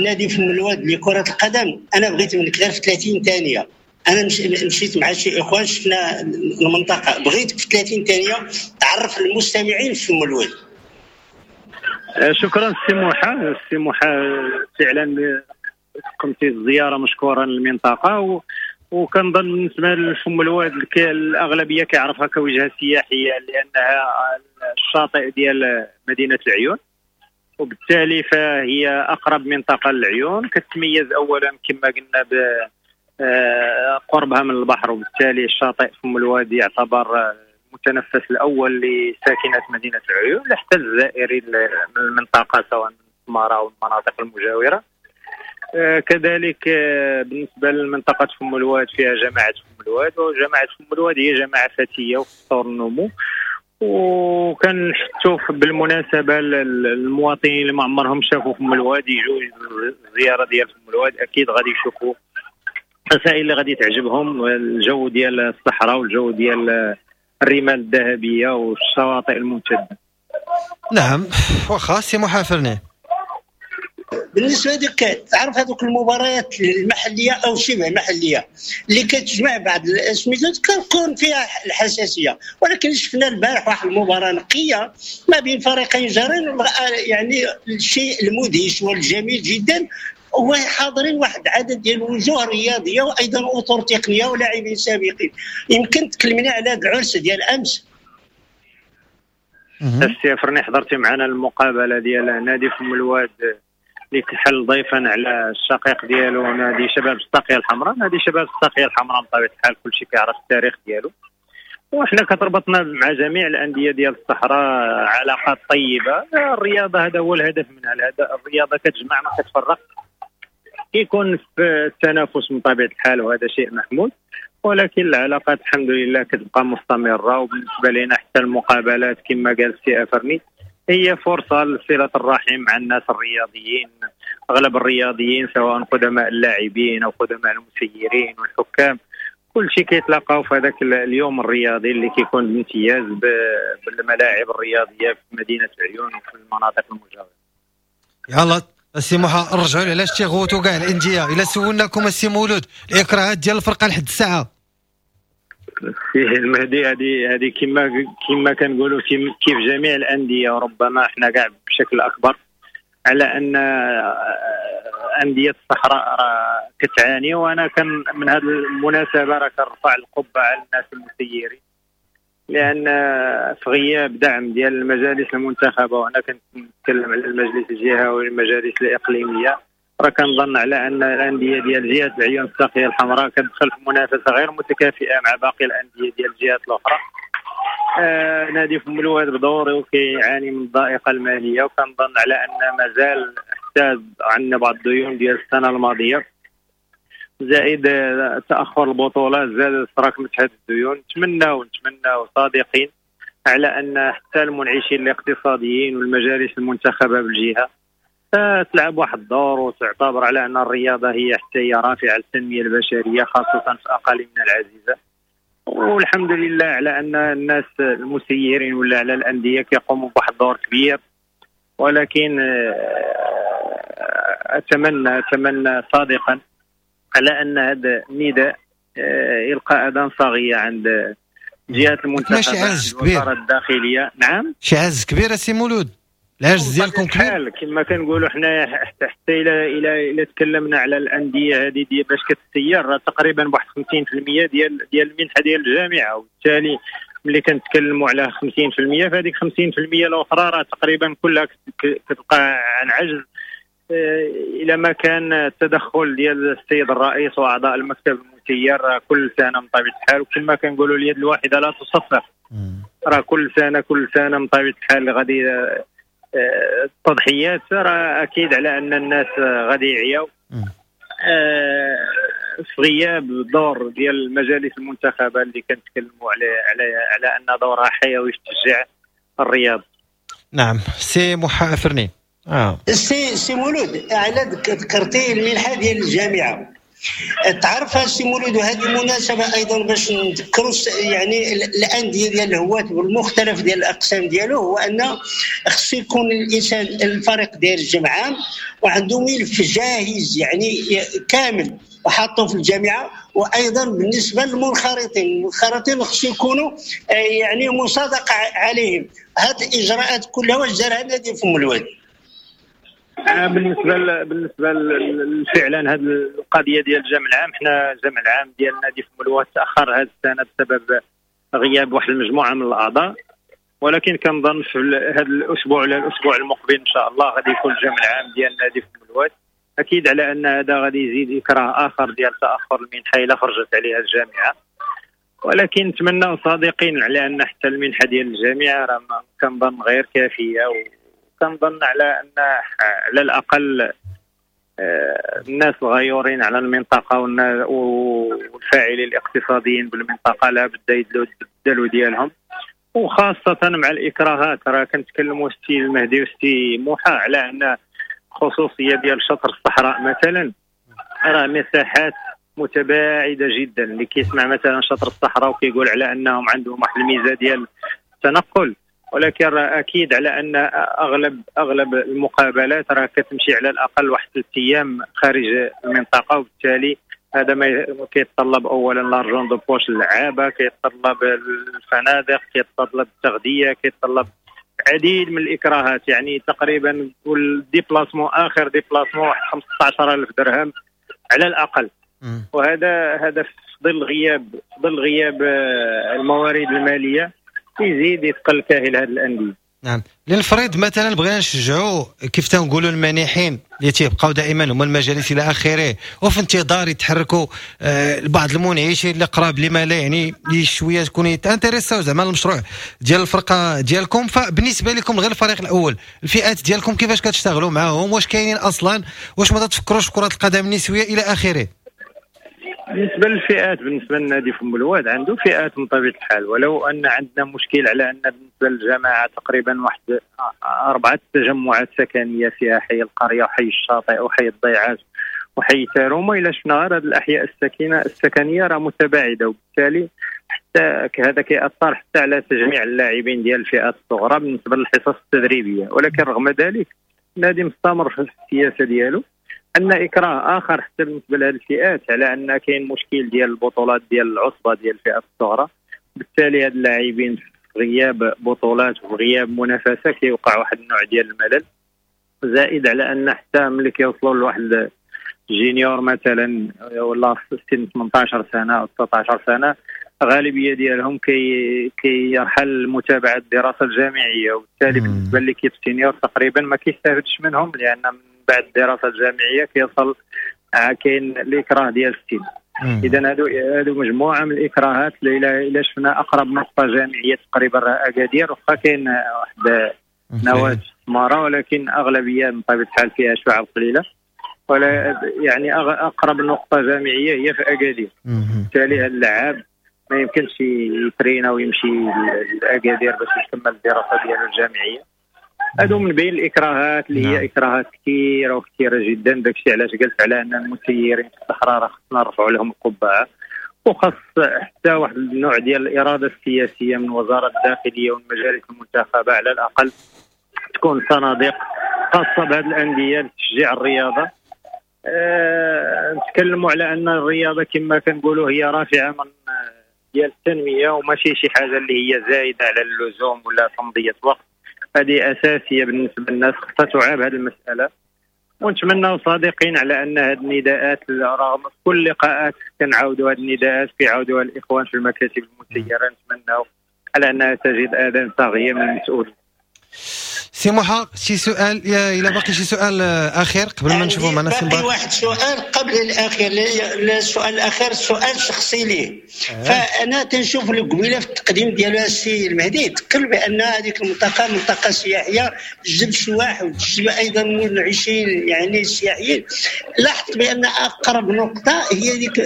نادي فم الواد لكرة القدم. انا بغيت منك غير في ثلاثين ثانية، انا مشيت مع شي اخوان شفنا المنطقة، بغيتك في ثلاثين ثانية تعرف المستمعين في فم الواد. شكرا سي موحى. سي موحى فعلا قمت الزيارة مشكورا للمنطقة، و... وكنظن بالنسبة لفم الواد الاغلبية كيعرفها كوجهه سياحية لانها الشاطئ ديال مدينة العيون، وبالتالي فهي اقرب منطقة للعيون. كتميز اولا كما قلنا بقربها من البحر، وبالتالي الشاطئ فم الواد يعتبر المتنفس الاول لساكنه مدينة العيون لحتى الزائرين من المنطقة سواء من السماره او المناطق المجاورة. كذلك بالنسبة لمنطقه فم الواد فيها جماعة فم الواد، وجماعه فم الواد هي جماعة فتية وفي طور النمو، وكنحثوا بالمناسبة المواطنين اللي ما عمرهم شافوا فم الواد يجوا الزيارة ديال فم الواد، اكيد غادي يشوفوا رسائل اللي غادي تعجبهم، الجو ديال الصحراء والجو ديال الرمال الذهبية والشواطئ الممتدة. نعم واخا سي محافرني. بالنسبة لك تعرف هذوك المباريات المحلية او شبه محليه اللي كتجمع بعض سميتو كتكون فيها الحساسية، ولكن شفنا البارح واحد المباراة نقية ما بين فريقين جارين، يعني الشيء المدهش والجميل جدا هو حاضرين واحد عدد ديال الوجوه الرياضية وايضا اطر تقنية ولاعبين سابقين. يمكن تكلمنا على هذا العرس ديال امس. السي فرني حضرتي معنا المقابلة ديال نادي فم الواد اللي كحل ضيفا على الشقيق ديالو نادي شباب الساقيه الحمراء. نادي شباب الساقيه الحمراء بطبيعة الحال كلشي كيعرف التاريخ ديالو، وحنا كتربطنا مع جميع الاندية ديال الصحراء علاقات طيبة. الرياضة هذا هو الهدف منها، الرياضة كتجمع ما كتفرق، كيكون في التنافس من طبيعة الحال وهذا شيء محمود، ولكن العلاقات الحمد لله كتبقى مستمرة. وبالنسبة لنا حتى المقابلات كما قال السي افرني هي فرصة لصله الرحم مع الناس الرياضيين، اغلب الرياضيين سواء قدماء اللاعبين او قدماء المسيرين والحكام، كل شيء كيتلاقاو في هذاك اليوم الرياضي اللي كيكون بامتياز بالملاعب الرياضية في مدينة العيون وفي المناطق المجاورة. يلا السي محا نرجعوا علاش تيغوتوا كاع الاندية؟ الا سولناكم السي مولود الاكراهات ديال الفرقة لحد الساعة. سي المهدي هذه هذه كما كما كنقولوا كيف جميع الاندية وربما حنا كاع بشكل اكبر، على ان اندية الصحراء راه كتعاني. وانا كان من هذه المناسبة راه كنرفع القبعة على الناس المسيرين، لان في غياب دعم ديال المجالس المنتخبه، وانا كنتكلم على المجلس الجهوي والمجالس الاقليمية، راه كنظن على ان الاندية ديال جهة العيون الساقيه الحمراء كتدخل في منافسه غير متكافئة مع باقي الاندية ديال الجهات الاخرى. آه نادي فم الواد بدوره كيعاني من الضائقه المالية، وكنظن على ان مازال حتى عندنا بعض الديون ديال السنة الماضية، زائد تاخر البطولة زادت تراكمت هذه الديون. نتمناو نتمناو صادقين على ان حتى المنعشين الاقتصاديين والمجالس المنتخبه بالجهة تلعب واحد الدور، وتعتبر على ان الرياضة هي حتى هي رافعه للتنمية البشرية خاصة في اقاليمنا العزيزة. والحمد لله على ان الناس المسيرين ولا على الاندية كيقوموا بواحد الدور كبير، ولكن اتمنى اتمنى صادقا على ان هذا النداء يلقى اذان صاغيه عند جهات المنتخبه الوزارة الداخلية. نعم شي عز كبير سي مولود، العجز ديالكم كبير كما كنقولوا حنا، حتى حتى الى الى الى تكلمنا على الاندية هذه ديال باش كتسير تقريبا بواحد خمسين بالمية ديال ديال المنحة ديال الجامعة، وبالتالي ملي كنتكلموا على خمسين بالمية فهذيك خمسين بالمية الاخرى راه تقريبا كلها كتبقى عن عجز الى ما كان التدخل ديال السيد الرئيس واعضاء المكتب المسير كل سنة من طبيعة الحال. وكما كنقولوا اليد الواحدة لا تصفق، راه كل سنة كل سنة من طبيعة الحال غادي التضحيات، راه اكيد على ان الناس غادي يعياو في غياب الدور ديال المجالس المنتخبه اللي كنتكلموا على على على ان دورها حيوي في تشجيع الرياض. نعم سي محافرني. اه سي سي مولود، على ذكرتي المنحة ديال الجامعة، تعرف سي مولود، وهذه مناسبة ايضا باش نذكروا يعني الاندية ديال الهواة بالمختلف ديال الاقسام ديالو، هو ان خصو يكون الانسان الفريق ديال الجمعان وعنده ملف جاهز يعني كامل وحاطه في الجامعة. وايضا بالنسبة للمنخرطين، المنخرطين خصو يكونوا يعني مصادقه عليهم. هذه الاجراءات كلها واش دارها نادي فم الواد؟ بالنسبة ل... بالنسبة فعلا هذه القضية ديال الجمع العام، حنا الجمع العام ديال نادي فم الواد تاخر هذه السنة بسبب غياب واحد المجموعة من الاعضاء، ولكن كنظن في هذا الاسبوع ولا الاسبوع المقبل ان شاء الله غادي يكون الجمع العام ديال نادي فم الواد. اكيد على ان هذا غادي يزيد اكراه اخر ديال تاخر المنحة الا خرجت عليها الجامعة، ولكن نتمناو صادقين على ان حتى المنحة ديال الجامعة راه كنظن غير كافيه، كنظن على ان على الاقل الناس الغيورين على المنطقة والفاعلين الاقتصاديين بالمنطقة لا بد يدلوا الدلو ديالهم، وخاصة مع الاكراهات. راه كنتكلموا السي المهدي والسي موحى على ان خصوصية ديال شطر الصحراء مثلا راه مساحات متباعدة جدا. اللي كيسمع مثلا شطر الصحراء وكيقول على انهم عندهم واحد الميزة ديال التنقل، ولكن راه اكيد على ان اغلب اغلب المقابلات راه كتمشي على الاقل واحد ثلاث ايام خارج المنطقة، وبالتالي هذا ما كيتطلب اولا l'argent de poche اللعابه، كيتطلب الفنادق، كيتطلب التغذية، كيتطلب عديد من الاكراهات. يعني تقريبا كل déplacement، اخر déplacement واحد خمسة عشر ألف درهم على الاقل. وهذا هذا في ظل غياب في ظل غياب الموارد المالية يزيد يثقل كاهل هذه الاندية. نعم، لنفرض مثلا بغينا نشجعوا كيف تنقولوا المانحين اللي تيبقاو دائما هما المجالس الى اخره، وفي انتظار يتحركوا آه بعض المنعشين اللي قراب لما لا يعني شوية تكون يتانتريساو زعما المشروع ديال الفرقة ديالكم. فبالنسبه لكم غير الفريق الاول، الفئات ديالكم كيفاش كتشتغلوا معاهم؟ واش كاينين اصلا؟ واش ما تفكروش في كره القدم النسوية الى اخره؟ بالنسبة للفئات، بالنسبة للنادي فم الواد عنده فئات من طبيعة الحال، ولو ان عندنا مشكل على ان بالنسبة للجماعة تقريبا واحد اربعة تجمعات سكنية فيها حي القرية وحي الشاطئ وحي الضيعات وحي تاروما. الا شفنا غير هذه الاحياء الساكنة السكنية راه متباعدة، وبالتالي حتى هذا كيأثر حتى على تجميع اللاعبين ديال الفئات الصغرى بالنسبة للحصص التدريبية. ولكن رغم ذلك النادي مستمر في السياسة ديالو. عندنا اكراه اخر حتى بالنسبة لهذه الفئات على ان كاين مشكل ديال البطولات ديال العصبة ديال الفئات الصغرى، بالتالي هاد اللاعبين في غياب بطولات وفي غياب منافسه كيوقع واحد النوع ديال الملل، زائد على ان حتى ملي كيوصلوا لواحد junior مثلا ولا في سن ثمانية عشر سنة او تسعة عشر سنة غالبية ديالهم كي كيرحل متابعه الدراسة الجامعية، وبالتالي بالنسبة l'équipe senior تقريبا ما كيستافدش منهم، لان من بعد الدراسة الجامعية كيوصل كاين الاكراه ديال السن. اذا هادو هادو مجموعة من الاكراهات اللي الا شفنا اقرب نقطة جامعية تقريبا راه اكادير، واخا كاين واحد نواه سماره ولكن اغلبية من طبيعة الحال فيها شعب قليله، ولا يعني اقرب نقطة جامعية هي في اكادير. بالتالي هاد اللعاب ما يمكنش يترينا ويمشي لاكادير باش يكمل الدراسة ديالو الجامعية. هادو من بين الاكراهات اللي هي اكراهات كثيرة وكثيره جدا. داكشي علاش قلت على ان المسيرين في الصحراء راه خصنا نرفعوا لهم القبعة، وخص حتى واحد النوع ديال الارادة السياسية من وزارة الداخلية والمجالس المنتخبه على الاقل تكون صناديق خاصة بهذه الاندية لتشجيع الرياضة. أه نتكلموا على ان الرياضة كما كنقولوا هي رافعه من ديال التنمية، وماشي شي حاجة اللي هي زايدة على اللزوم ولا تمضيه وقت، هذه اساسية بالنسبة للناس، خصها تعاب هذه المسالة. ونتمناو صادقين على ان هذه النداءات رغم كل لقاءات كنعاودوا هذه النداءات كيعاودوها الاخوان في المكاتب المسيرة، نتمناو على انها تجد اذان صاغيه من المسؤولين. سي موحى، شي سؤال الى باقي شي سؤال اخير قبل ما نشوفوا معنا سي باقي واحد سؤال قبل الاخير، السؤال الاخير سؤال شخصي ليه. آه. فانا تنشوف القبيلة في التقديم ديالها السي المهدي تقل بان هذيك المنطقة منطقة سياحية تجلب سواح وتجلب ايضا المنعشين يعني السياحيين. لاحظت بان اقرب نقطة هي ديك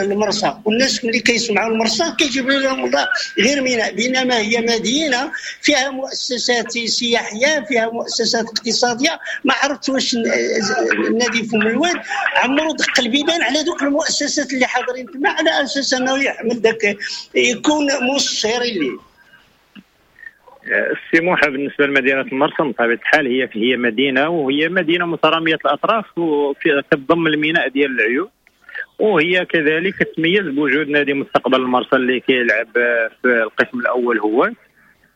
المرسى، والناس ملي كيسمعوا المرسى كيجيبوا لهم غير ميناء، بينما هي مدينة فيها مؤسسات سياحية فيها مؤسسات اقتصادية. ما عرفت واش النادي فم الواد عمرو دق البيبان على دوك المؤسسات اللي حاضرين تما على اساس انه يحمل داك يكون مستشير ليه. السي موحى، بالنسبة لمدينة المرسى بطبيعة الحال هي هي مدينة، وهي مدينة متراميه الاطراف وكتضم الميناء ديال العيون، وهي كذلك تتميز بوجود نادي مستقبل المرسى اللي كيلعب في القسم الاول. هو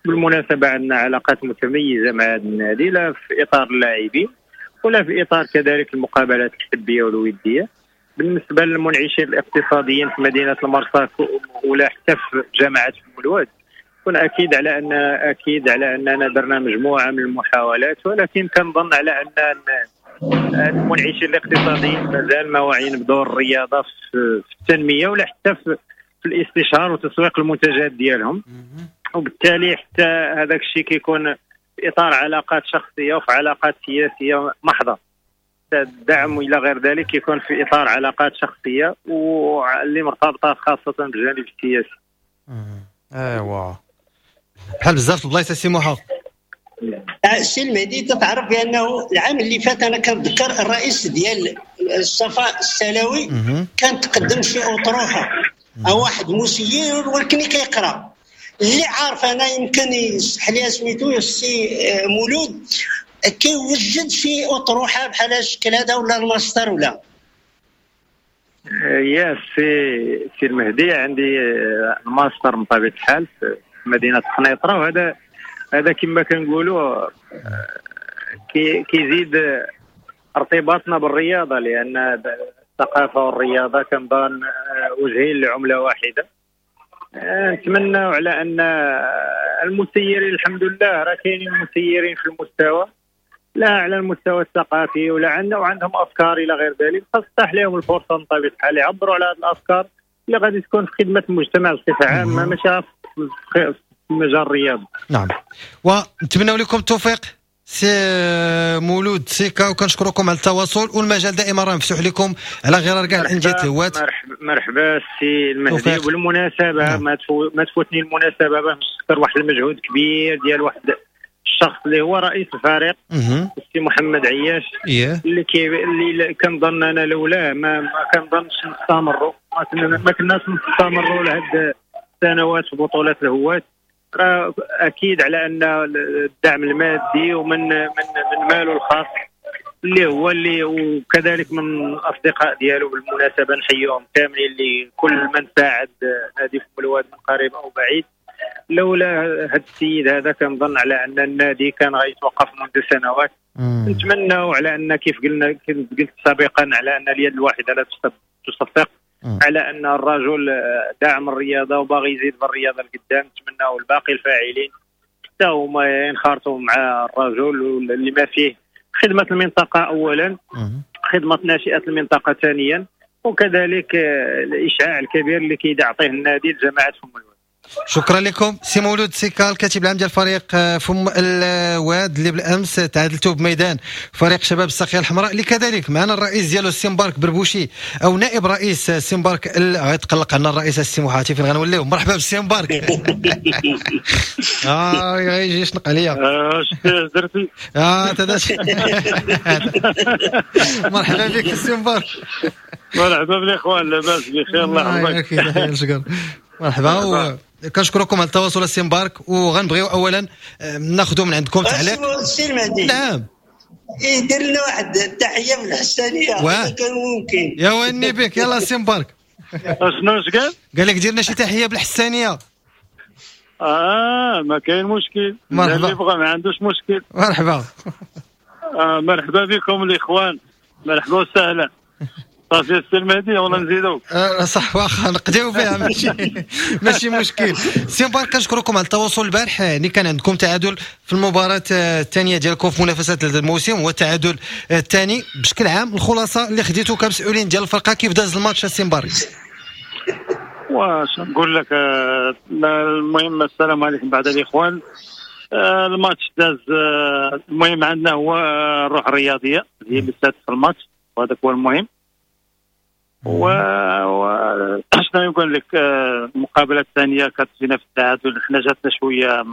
بالمناسبة عندنا علاقات متميزة مع هذا النادي، لا في إطار اللاعبين ولا في إطار كذلك المقابلات الحبية والودية. بالنسبة للمنعشين الاقتصاديين في مدينة المرسى ولا حتى في جامعة فم الواد، كن أكيد على أن أكيد على أننا درنا مجموعة من المحاولات، ولكن كنظن على أن المنعشين الاقتصاديين مازال ما واعيين بدور الرياضة في التنمية ولا حتى في الاستشهار وتسويق المنتجات ديالهم، وبالتالي حتى هذاك الشيء كيكون في اطار علاقات شخصية وفي علاقات سياسية محضة. الدعم والى غير ذلك يكون في اطار علاقات شخصية واللي مرتبطة خاصة بالجانب السياسي. ايوا بحال بزاف البلايص السي موحى. السي المهدي تتعرف بانه العام اللي فات انا كنتذكر الرئيس ديال الصفاء السلاوي كان تقدم شي اطروحة او واحد مسير ولكن كيقرا، اللي عارف انا يمكن يصح لي سميتو السي مولود، كيوجد شي اطروحة بحال الشكل هذا ولا الماستر ولا. يا سي سي المهدي، عندي الماستر من طبيعة الحال في مدينة قنيطره، وهذا هذا كما كنقولوا كيزيد ارتباطنا بالرياضة، لان الثقافة والرياضة كنظن وجهين لعمله واحدة. نتمنى على ان المسيرين الحمد لله راه كاينين مسيرين في المستوى، لا على المستوى الثقافي ولا عندنا وعندهم افكار الى غير ذلك، خاص تتاح لهم الفرصة من طبيعة الحال يعبروا على هذه الافكار اللي غادي تكون في خدمة المجتمع بصفة عامة، ماشي في مجال الرياضة. نعم، ونتمنى لكم التوفيق سي مولود سيكا، وكنشكركم على التواصل، والمجال دائما راه مفتوح لكم على غرار كاع الاندية الهوات. مرحبا سي المهدي، وبالمناسبة نعم. ما ما تفوتني المناسبة باش نشكر واحد المجهود كبير ديال واحد الشخص اللي هو رئيس الفريق السي محمد عياش، yeah. اللي كي اللي كنظن انا لولاه ما, ما كنظنش نستمروا، ما كناش نستمروا لهاد السنوات في بطولات الهوات. اكيد على ان الدعم المادي ومن من من ماله الخاص اللي هو اللي وكذلك من الاصدقاء ديالو، بالمناسبة نحييهم كاملين اللي كل من ساعد نادي فم الواد من قريب او بعيد. لولا هذا السيد هذا كنظن على ان النادي كان غيتوقف منذ سنوات. نتمنى على ان كيف قلنا كنت قلت سابقا على ان اليد الواحدة لا تصفق، على ان الرجل داعم الرياضة وباغي يزيد بالرياضة لقدام. نتمنى الباقي الفاعلين حتى هما ينخرطوا مع الرجل اللي ما فيه خدمة المنطقة اولا، خدمة ناشئة المنطقة ثانيا، وكذلك الاشعاع الكبير اللي كيعطيه النادي لجماعة فم الواد. شكرا لكم سي مولود سيكا، الكاتب العام ديال فريق فم الواد اللي بالامس تعادلتوا بميدان فريق شباب الساقيه الحمراء، اللي كذلك معنا الرئيس ديالو السي مبارك بربوشي او نائب رئيس السي مبارك. غيتقلق عندنا الرئيس السي محاتي فين غنوليو. مرحبا بالسي مبارك. اه غيجي يشنق عليا. اش درتي؟ اه تداش. مرحبا بك السي مبارك. مرحبا بالاخوان، لاباس بخير الله يحفظك. شكرا، مرحبا. كنشكركم على التواصل السي مبارك، وغنبغيو اولا ناخذوا من عندكم تعليق. السي المهدي، نعم، يدير لنا واحد التحية من الحسانيه اذا كان ممكن. يا ويني بك، يلا السي مبارك. شنو اش قال؟ قال لك دير لنا شي تحية بالحسانيه. اه ما كاين مشكل، مرحبا، اللي بغى ما عندوش مشكل. مرحبا. آه مرحبا بكم الاخوان، مرحبا وسهلا. صافي السي المهدي ولا نزيدوك؟ أه صح، واخا نقضيو فيها، ماشي ماشي مشكل. سي مبارك كنشكركم على التواصل البارح، اللي كان عندكم تعادل في المباراة الثانية ديالكم في منافسات الموسم، هو التعادل الثاني. بشكل عام الخلاصة اللي خديتو كمسؤولين ديال الفرقة، كيف داز الماتش السي مبارك؟ واش نقول لك، المهم السلام عليكم بعد الاخوان. الماتش داز، المهم عندنا هو الروح الرياضية هي اللي سادت في الماتش، وهذاك هو المهم. و, و... شنو يقول لك، المقابلة الثانية كانت فينا في التعادل، حنا جاتنا شوية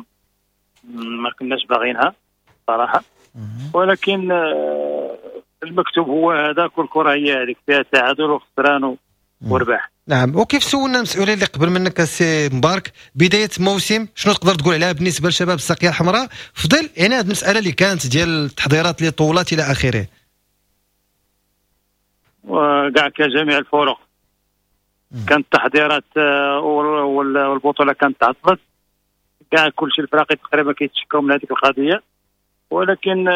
ما كناش باغينها صراحة، ولكن المكتوب هو هذاك، والكره هي هذيك فيها تعادل وخسران وربح. نعم، وكيف سولنا المسؤولين اللي قبل منك السي مبارك، بداية موسم شنو تقدر تقول عليها بالنسبة لشباب الساقيه الحمراء في ظل يعني هذه المسالة اللي كانت ديال التحضيرات اللي طولت الى اخره؟ وكاع كجميع الفرق كانت التحضيرات والبطوله كانت تعطلت، كاع كلشي الفراقي تقريبا كيتشكاو من هذيك القضية، ولكن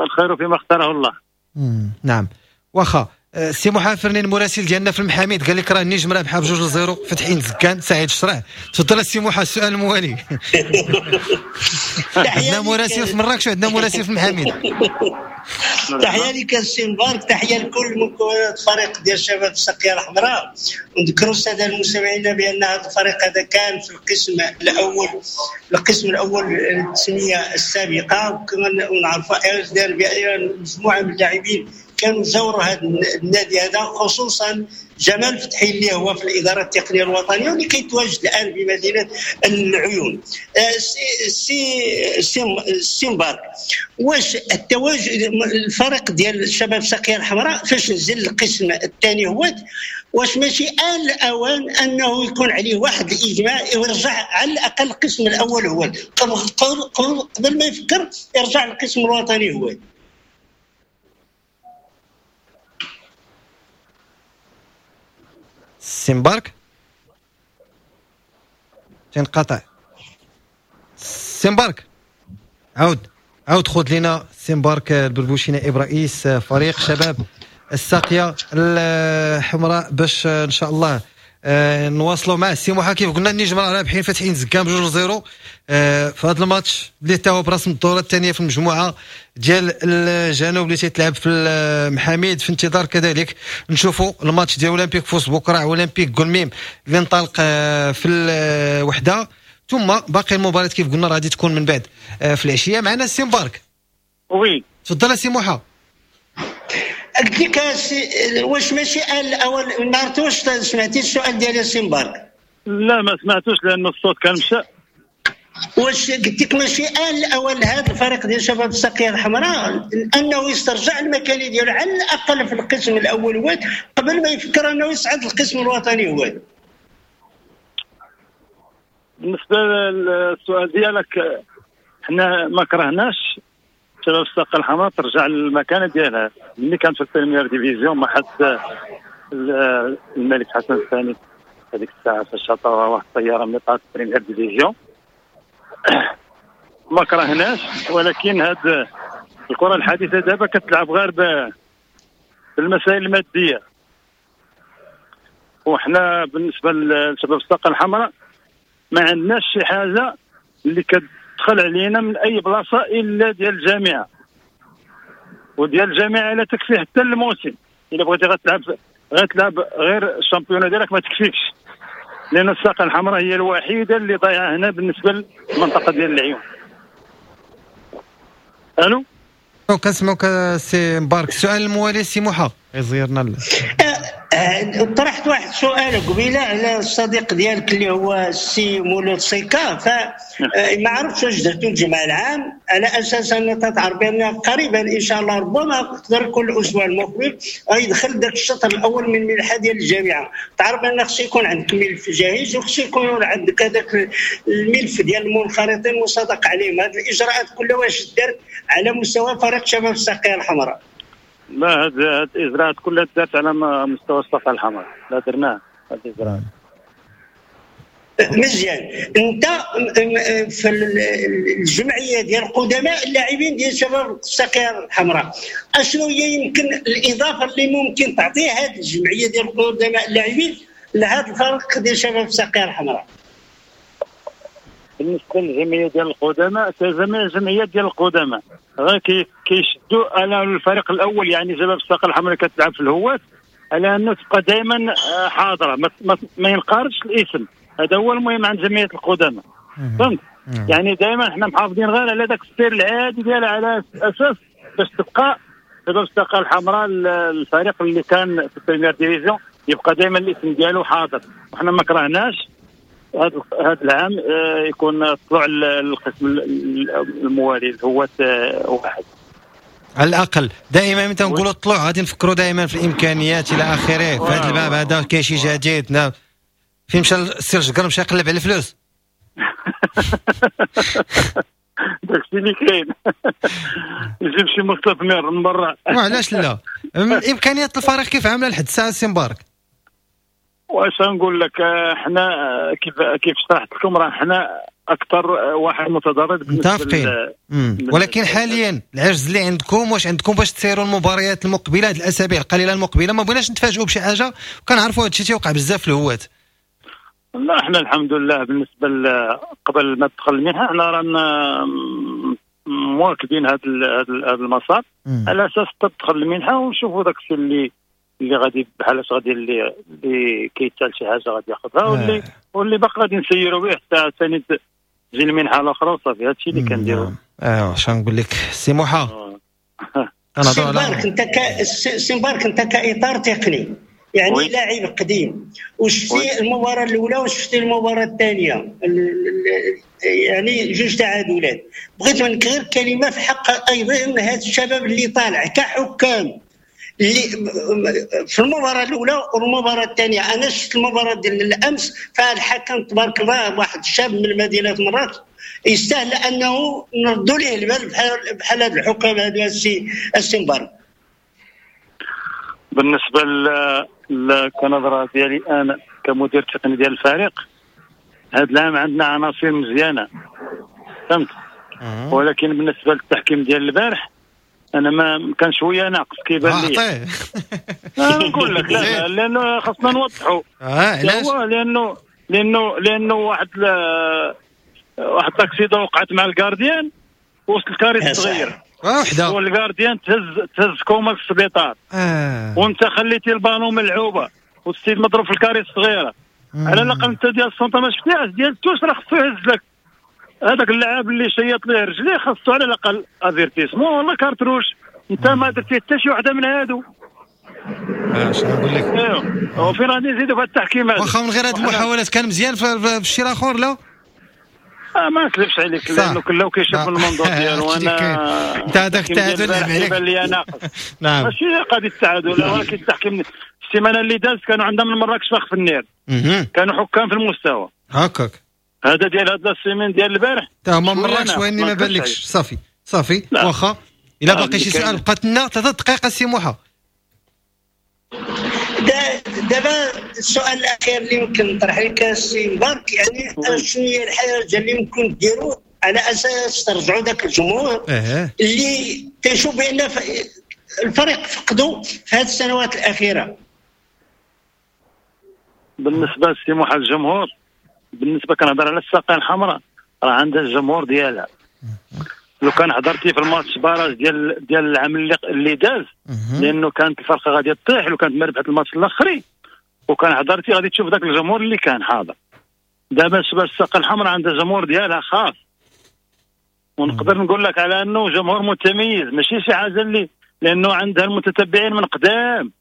الخير فيما اختاره الله. مم. نعم، واخا سي محافرني المراسل ديالنا في المحاميد قال لك راه النجم رابحه بجوج لزيرو فتحين زكان سعيد الشرع. تفضل السي موحى السؤال الموالي. عندنا مراسل في مراكش وعندنا مراسل في المحاميد. تحية لك السي مبارك، تحية لكل مكونات الفريق ديال شباب الساقيه الحمراء. ونذكروا السادة المستمعين بان هذا الفريق هذا كان في القسم الاول، القسم الاول التسمية السابقة، وكما نعرفوا دار مجموعة من اللاعبين كانوا زوروا هذا النادي هذا، خصوصا جمال فتحي اللي هو في الادارة التقنية الوطنية واللي كيتواجد الان بمدينة العيون. سي سي سي مبارك، واش التواجد الفريق ديال الشباب الساقيه الحمراء فاش نزل القسم الثاني هو واش ماشي آن الاوان انه يكون عليه واحد الاجماع ويرجع على الاقل القسم الاول هو قبل قبل ما يفكر يرجع للقسم الوطني هو؟ سي مبارك تنقطع. سي مبارك عاود عاود خذ لنا سي مبارك البربوشي نائب رئيس فريق شباب الساقيه الحمراء باش ان شاء الله نواصلوا مع سي موحى. كيف قلنا النجم راه رابحين فاتحين زكام بجوج zéro في هذا الماتش اللي تا هو برسم الدورة الثانية في المجموعة ديال الجنوب اللي تيتلعب في المحاميد. في انتظار كذلك نشوفوا الماتش ديال اولمبيك فوس بكره اولمبيك قلميم اللي انطلق في الوحدة، ثم باقي المباريات كيف قلنا غادي تكون من بعد في العشية. معنا سي مبارك. oui تفضل سي موحى. قلت لك واش ماشي آن الاول ما عرفتوش سمعتي السؤال ديالي سي مبارك؟ لا ما سمعتوش لان الصوت كان مشى. واش قلت لك ماشي آن الاول هذا الفريق ديال شباب الساقيه الحمراء انه يسترجع المكان ديالو على الاقل في القسم الاول هو قبل ما يفكر انه يصعد القسم الوطني هو؟ بالنسبة للسؤال ديالك حنا ما كرهناش شباب الساقه الحمراء ترجع للمكانه ديالها ملي كانت في ال première division مع حد الملك حسن الثاني هذيك الساعة فاش عطاوها واحد الطيارة ملي طلعت ال première division. ما كرهناش، ولكن هاد الكره الحديثة دابا كتلعب غير بالمسائل المادية، وحنا بالنسبة لشباب الساقه الحمراء ما عندناش شي حاجة اللي كتدخل علينا من اي بلاصة الا ديال الجامعة، وديال الجامعة لا تكفي حتى الموسم. الا بغيتي غتلعب غتلعب غير ال championnat ديالك ما تكفيكش، لان الساقه الحمراء هي الوحيدة اللي ضايعة هنا بالنسبة للمنطقة ديال العيون. الو كنسمعوك سي مبارك. السؤال الموالي سي موحى يزيرنا. طرحت واحد السؤال قبيلة على الصديق ديالك اللي هو السي مولود سيكا، فما عرفتش واش درتو الجمع العام على اساس ان تتعرف بان قريبا ان شاء الله ربما يقدر كل الاسبوع المقبل يدخل ذاك الشطر الاول من المنحة ديال الجامعة. تعرف ان خص يكون عندك ملف جاهز وخص يكون عندك هذاك الملف ديال المنخرطين مصادق عليهم. هذه الاجراءات كلها واش دارت على مستوى فريق شباب الساقيه الحمراء؟ لا، هاد هاد الاجراءات كلها دارت على مستوى الساقيه الحمراء، لا درناها هاد الاجراءات. مزيان. انت في الجمعية ديال قدماء اللاعبين ديال شباب الساقيه الحمراء، اشنو هي يمكن الاضافة اللي ممكن تعطيها هذه الجمعية ديال قدماء اللاعبين لهذا الفريق ديال شباب الساقيه الحمراء؟ بالنسبة للجمعية ديال القدماء، جميع الجمعيات ديال القدماء غير كيشدوا على الفريق الاول، يعني شباب الساقه الحمراء كتلعب في الهواة على انه تبقى دائما حاضره، ما, ما ينقرضش الاسم. هذا هو المهم عند جمعية القدماء، فهمت؟ يعني دائما حنا محافظين غير على ذاك السير العادي ديالها على اساس باش تبقى شباب الساقه الحمراء الفريق اللي كان في ال première division يبقى دائما الاسم ديالو حاضر. وحنا ما كرهناش هذا هذا العام يكون طلوع القسم الموالي هو واحد على الاقل. دائما متى نقولوا الطلوع غادي نفكروا دائما في الامكانيات الى اخره. في هذا الباب هذا كاين شي جديد؟ نعم. فين مشى السير جكر مشى يقلب على الفلوس؟ داكشي اللي كاين، يجيب شي مستثمر من برا. وعلاش لا؟ امكانيات الفريق كيف عامله لحد الساعة سي مبارك؟ واش نقول لك، حنا كيف كيف شرحت لكم راه حنا اكثر واحد متضرر متفقين. ولكن حاليا العجز اللي عندكم واش عندكم باش تسيروا المباريات المقبلة هذه الاسابيع القليلة المقبلة؟ ما بغيناش نتفاجئوا بشي حاجة، وكنعرفوا هذا الشيء تيوقع بزاف في الهوات. لا احنا الحمد لله بالنسبة قبل ما تدخل المنحة احنا رانا مواكبين هذا هذا المسار على اساس تدخل المنحة ونشوفوا داك الشيء اللي اللي غادي بحال اش غادي اللي اللي كيتسال شي حاجة غادي ياخذها، واللي واللي باقي غادي نسيروا به حتى ثاني تجي المنحة الاخرى وصافي. هادشي اللي كنديروا. اه اش نقول لك سي موحى، سي مبارك انت ك... سي مبارك انت كاطار تقني يعني لاعب قديم، وشفتي المباراة الاولى وشفتي المباراة الثانية، يعني جوج تعادلات. بغيت منك غير كلمة في حق ايضا هذا الشباب اللي طالع كحكام اللي في المباراة الاولى والمباراة الثانية. انا شفت المباراة ديال الامس، فالحكم تبارك الله واحد الشاب من مدينة مراكش يستاهل انه نردوا ليه البال بحال بحال هاد الحكام هادو. السي السي مبارك، بالنسبة ل كنظره ديالي انا كمدير تقني ديال الفريق، هاد العام عندنا عناصر مزيانه، فهمت؟ ولكن بالنسبة للتحكيم ديال البارح انا ما كان شوية ناقص كيبان لي. آه نقول لك لا، لانه خاصنا نوضحوا. اه علاش؟ لانه لانه لانه واحد واحد l'accident وقعت مع ال gardien وسط ال carré الصغير وحده، وال gardien تهز تهز كوما للسبيطار. آه. وانت خليتي البالون ملعوبه والسيد مضروب في ال carré الصغيرة. على الاقل انت ديال ال centre ما شفتيهاش، ديال ال touche راه خصو يهز لك هذاك اللاعب اللي شيط ليه رجليه، خصو على الاقل افيرتيسمون ولا carte rouge. انت ما درتي حتى شي وحده من هادو. اش نقول لك؟ ايوا وفين غادي نزيدوا في هاد التحكيم هذا؟ واخا من غير هاد المحاولات كان مزيان في الشيء الاخر لا؟ آه ما نكذبش عليك، لانه كله كيشوف من المنظور ديالو. انا انت هذاك التعادل عليك لي ناقص. نعم ماشي قضية التعادل، ولكن التحكيم السيمانة اللي دازت كانوا عندنا من مراكش فخ في النير، كانوا حكام في المستوى هكاك. هذا ديال هاد السيمين ديال البارح تا هما مراكش واني ما بالكش. صافي صافي واخا. الا باقي شي سؤال بقات لنا ثلاث دقائق السي موحى. دابا السؤال الاخير اللي يمكن نطرح لك السي مبارك، يعني شنو هي الحاجة اللي يمكن ديروا على اساس ترجعوا ذاك الجمهور اه. اللي تنشوف بان الفريق فقدوا في هذه السنوات الاخيرة؟ بالنسبة للسي موحى الجمهور، بالنسبة كنهضر على الساقيه الحمراء راه عندها الجمهور ديالها. لو كان حضرتي في ال match barrage ديال ديال العام اللي اللي داز، لانه كانت الفرقة غادي تطيح لو كانت ما ربحت الماتش الاخري، وكان حضرتي غادي تشوف ذاك الجمهور اللي كان حاضر. دابا شباب الساقه الحمراء عندها الجمهور ديالها خاص، ونقدر نقول لك على انه جمهور متميز، ماشي شي حاجة اللي لانه عندها المتتبعين من قدام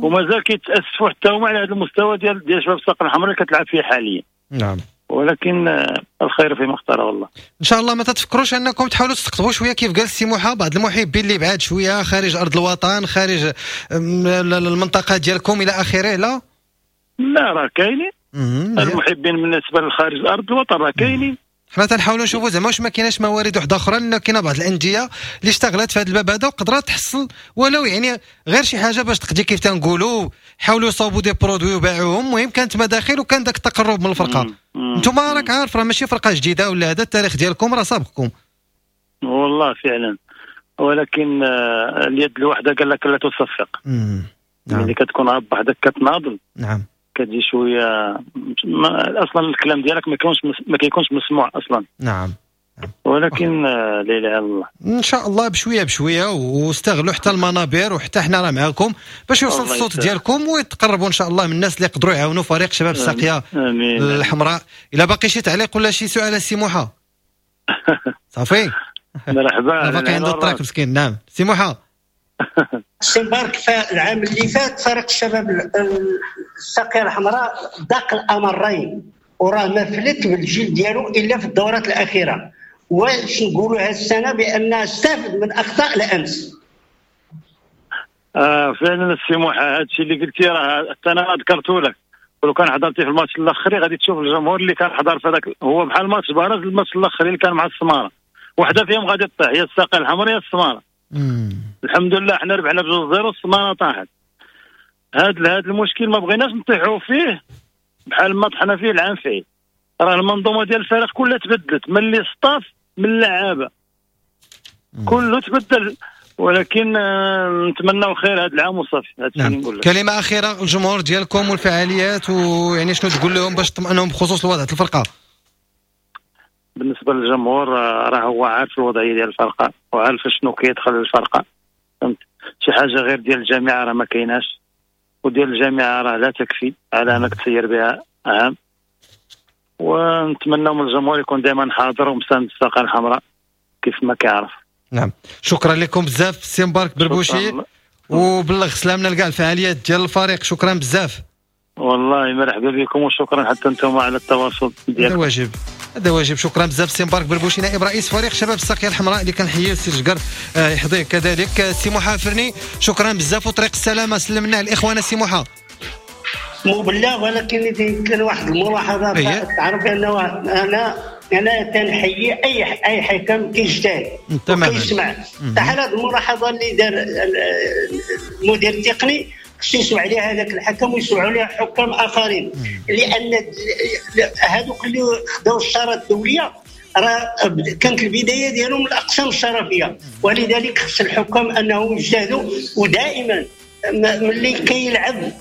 ومازال كيتاسفوا حتى هما على هذا المستوى ديال ديال شباب الساقه الحمراء اللي كتلعب فيه حاليا. نعم، ولكن الخير فيما اختاره الله. ان شاء الله ما تتفكروش انكم تحاولوا تستقطبوا شوية كيف قال السي موحى بعض المحبين اللي بعاد شوية خارج ارض الوطن، خارج المنطقة ديالكم الى اخره؟ لا لا راه كاينين المحبين بالنسبة لخارج ارض الوطن راه كاينين. حنا تنحاولوا نشوفوا زعما واش ما كايناش موارد وحده اخرى، لان كاينه بعض الاندية اللي اشتغلت في هذا الباب هذا وقدرات تحصل ولو يعني غير شي حاجة باش تقضي كيف تنقولوا، حاولوا يصاوبوا des produits وباعوهم. المهم كانت مداخل وكان داك التقرب من الفرقة. انتم راك عارف راه ماشي فرقه جديدة ولا هذا التاريخ ديالكم راه سابقكم. والله فعلا، ولكن اليد الواحدة قال لك لا تصفق. نعم. ملي كتكون بوحدك كتناضل، نعم، كتجي شوية اصلا الكلام ديالك ما كيكونش ما كيكونش مسموع اصلا. نعم، ولكن لا اله الا الله. ان شاء الله بشوية بشوية، واستغلوا حتى المنابر وحتى حنا راه معاكم باش يوصل الصوت ديالكم ويتقربوا ان شاء الله من الناس اللي يقدروا يعاونوا فريق شباب الساقيه الحمراء. الا باقي شي تعليق ولا شي سؤال السي موحى؟ صافي مرحبا. باقي عنده ال trac مسكين. نعم سي موحى. سي مبارك، العام اللي فات فريق الشباب الساقيه الحمراء ذاق الامرين وراه ما فلت بالجيل ديالو الا في الدورات الاخيرة. واش نقولوا هذه السنة بان استفد من اخطاء الامس؟ آه فعلا السي موحى هذا الشيء اللي قلتي راه حتى انا ذكرته لك. ولو كان حضرتي في الماتش الاخري غادي تشوف الجمهور اللي كان حضر في هذاك، هو بحال match barrage الماتش الاخري اللي كان مع السماره، وحده فيهم غادي تطيح، يا الساقيه الحمراء يا السماره. الحمد لله حنا ربحنا بجوج zéro، السماره طاحت. هذا هذا المشكل ما بغيناش نطيحوا فيه بحال ما طحنا فيه العام فيه. راه المنظومة ديال الفريق كلها تبدلت، من les staffs من اللعابه كله تبدل، ولكن نتمناو خير هذا العام وصافي. هذا الشيء نعم. نقول لك كلمة اخيرة للجمهور ديالكم والفعاليات، ويعني شنو تقول لهم باش تطمئنهم بخصوص الوضع الفرقة؟ بالنسبة للجمهور راه هو عارف الوضعية ديال الفرقة وعارف شنو كيدخل للفرقة، فهمت؟ شي حاجة غير ديال الجامعة راه ما كايناش، وديال الجامعة راه لا تكفي على انك تسير بها عام. ونتمنى من الجمهور يكون دائما حاضر ومساند الساقه الحمراء كيف ما كيعرف. نعم، شكرا لكم بزاف سي مبارك بربوشي، وبلغ سلامنا لكاع الفعاليات ديال الفريق. شكرا بزاف. والله مرحبا بكم، وشكرا حتى انتم على التواصل ديالكم. هذا واجب، هذا واجب. شكرا بزاف سي مبارك بربوشي نائب رئيس فريق شباب الساقيه الحمراء اللي كنحيي السي الجقر يحضيه كذلك. سي محافرني شكرا بزاف وطريق السلامة، سلمنا الاخوان سي محا. مبلغ، ولكن كان واحد الملاحظة، تعرف انه انا انا تنحيي اي اي حكم كيجتهد وكيسمع. بحال هذه الملاحظة اللي دار المدير التقني خصو يسمع عليها هذاك الحكم ويسمعوا عليها حكام اخرين، لان هذوك اللي خداو الشارة الدولية راه كانت البداية ديالهم الاقسام الشرفيه، ولذلك خص الحكام انهم يجتهدوا. ودائما ملي كيلعب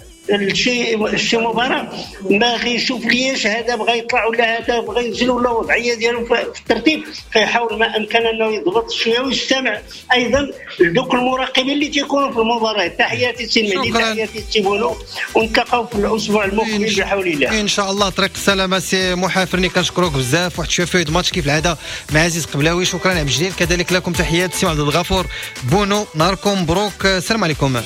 شي شي مباراة ما غيشوف ليش هذا بغى يطلع ولا هذا بغى ينزل ولا الوضعية ديالو في الترتيب، فيحاول ما امكن انه يضبط شوية ويستمع ايضا لذوك المراقبين اللي تيكونوا في المباراة. تحياتي سي المهدي، تحياتي سي بونو، ونتلاقاو في الاسبوع المقبل بحول الله ان شاء الله. طريق السلامة سي محافرني، كنشكروك بزاف. واحد شوية في ماتش كيف العادة مع عزيز قبلاوي، شكرا عبد الجليل، كذلك لكم تحيات سي عبد الغفور بونو. نهاركم مبروك، السلام عليكم.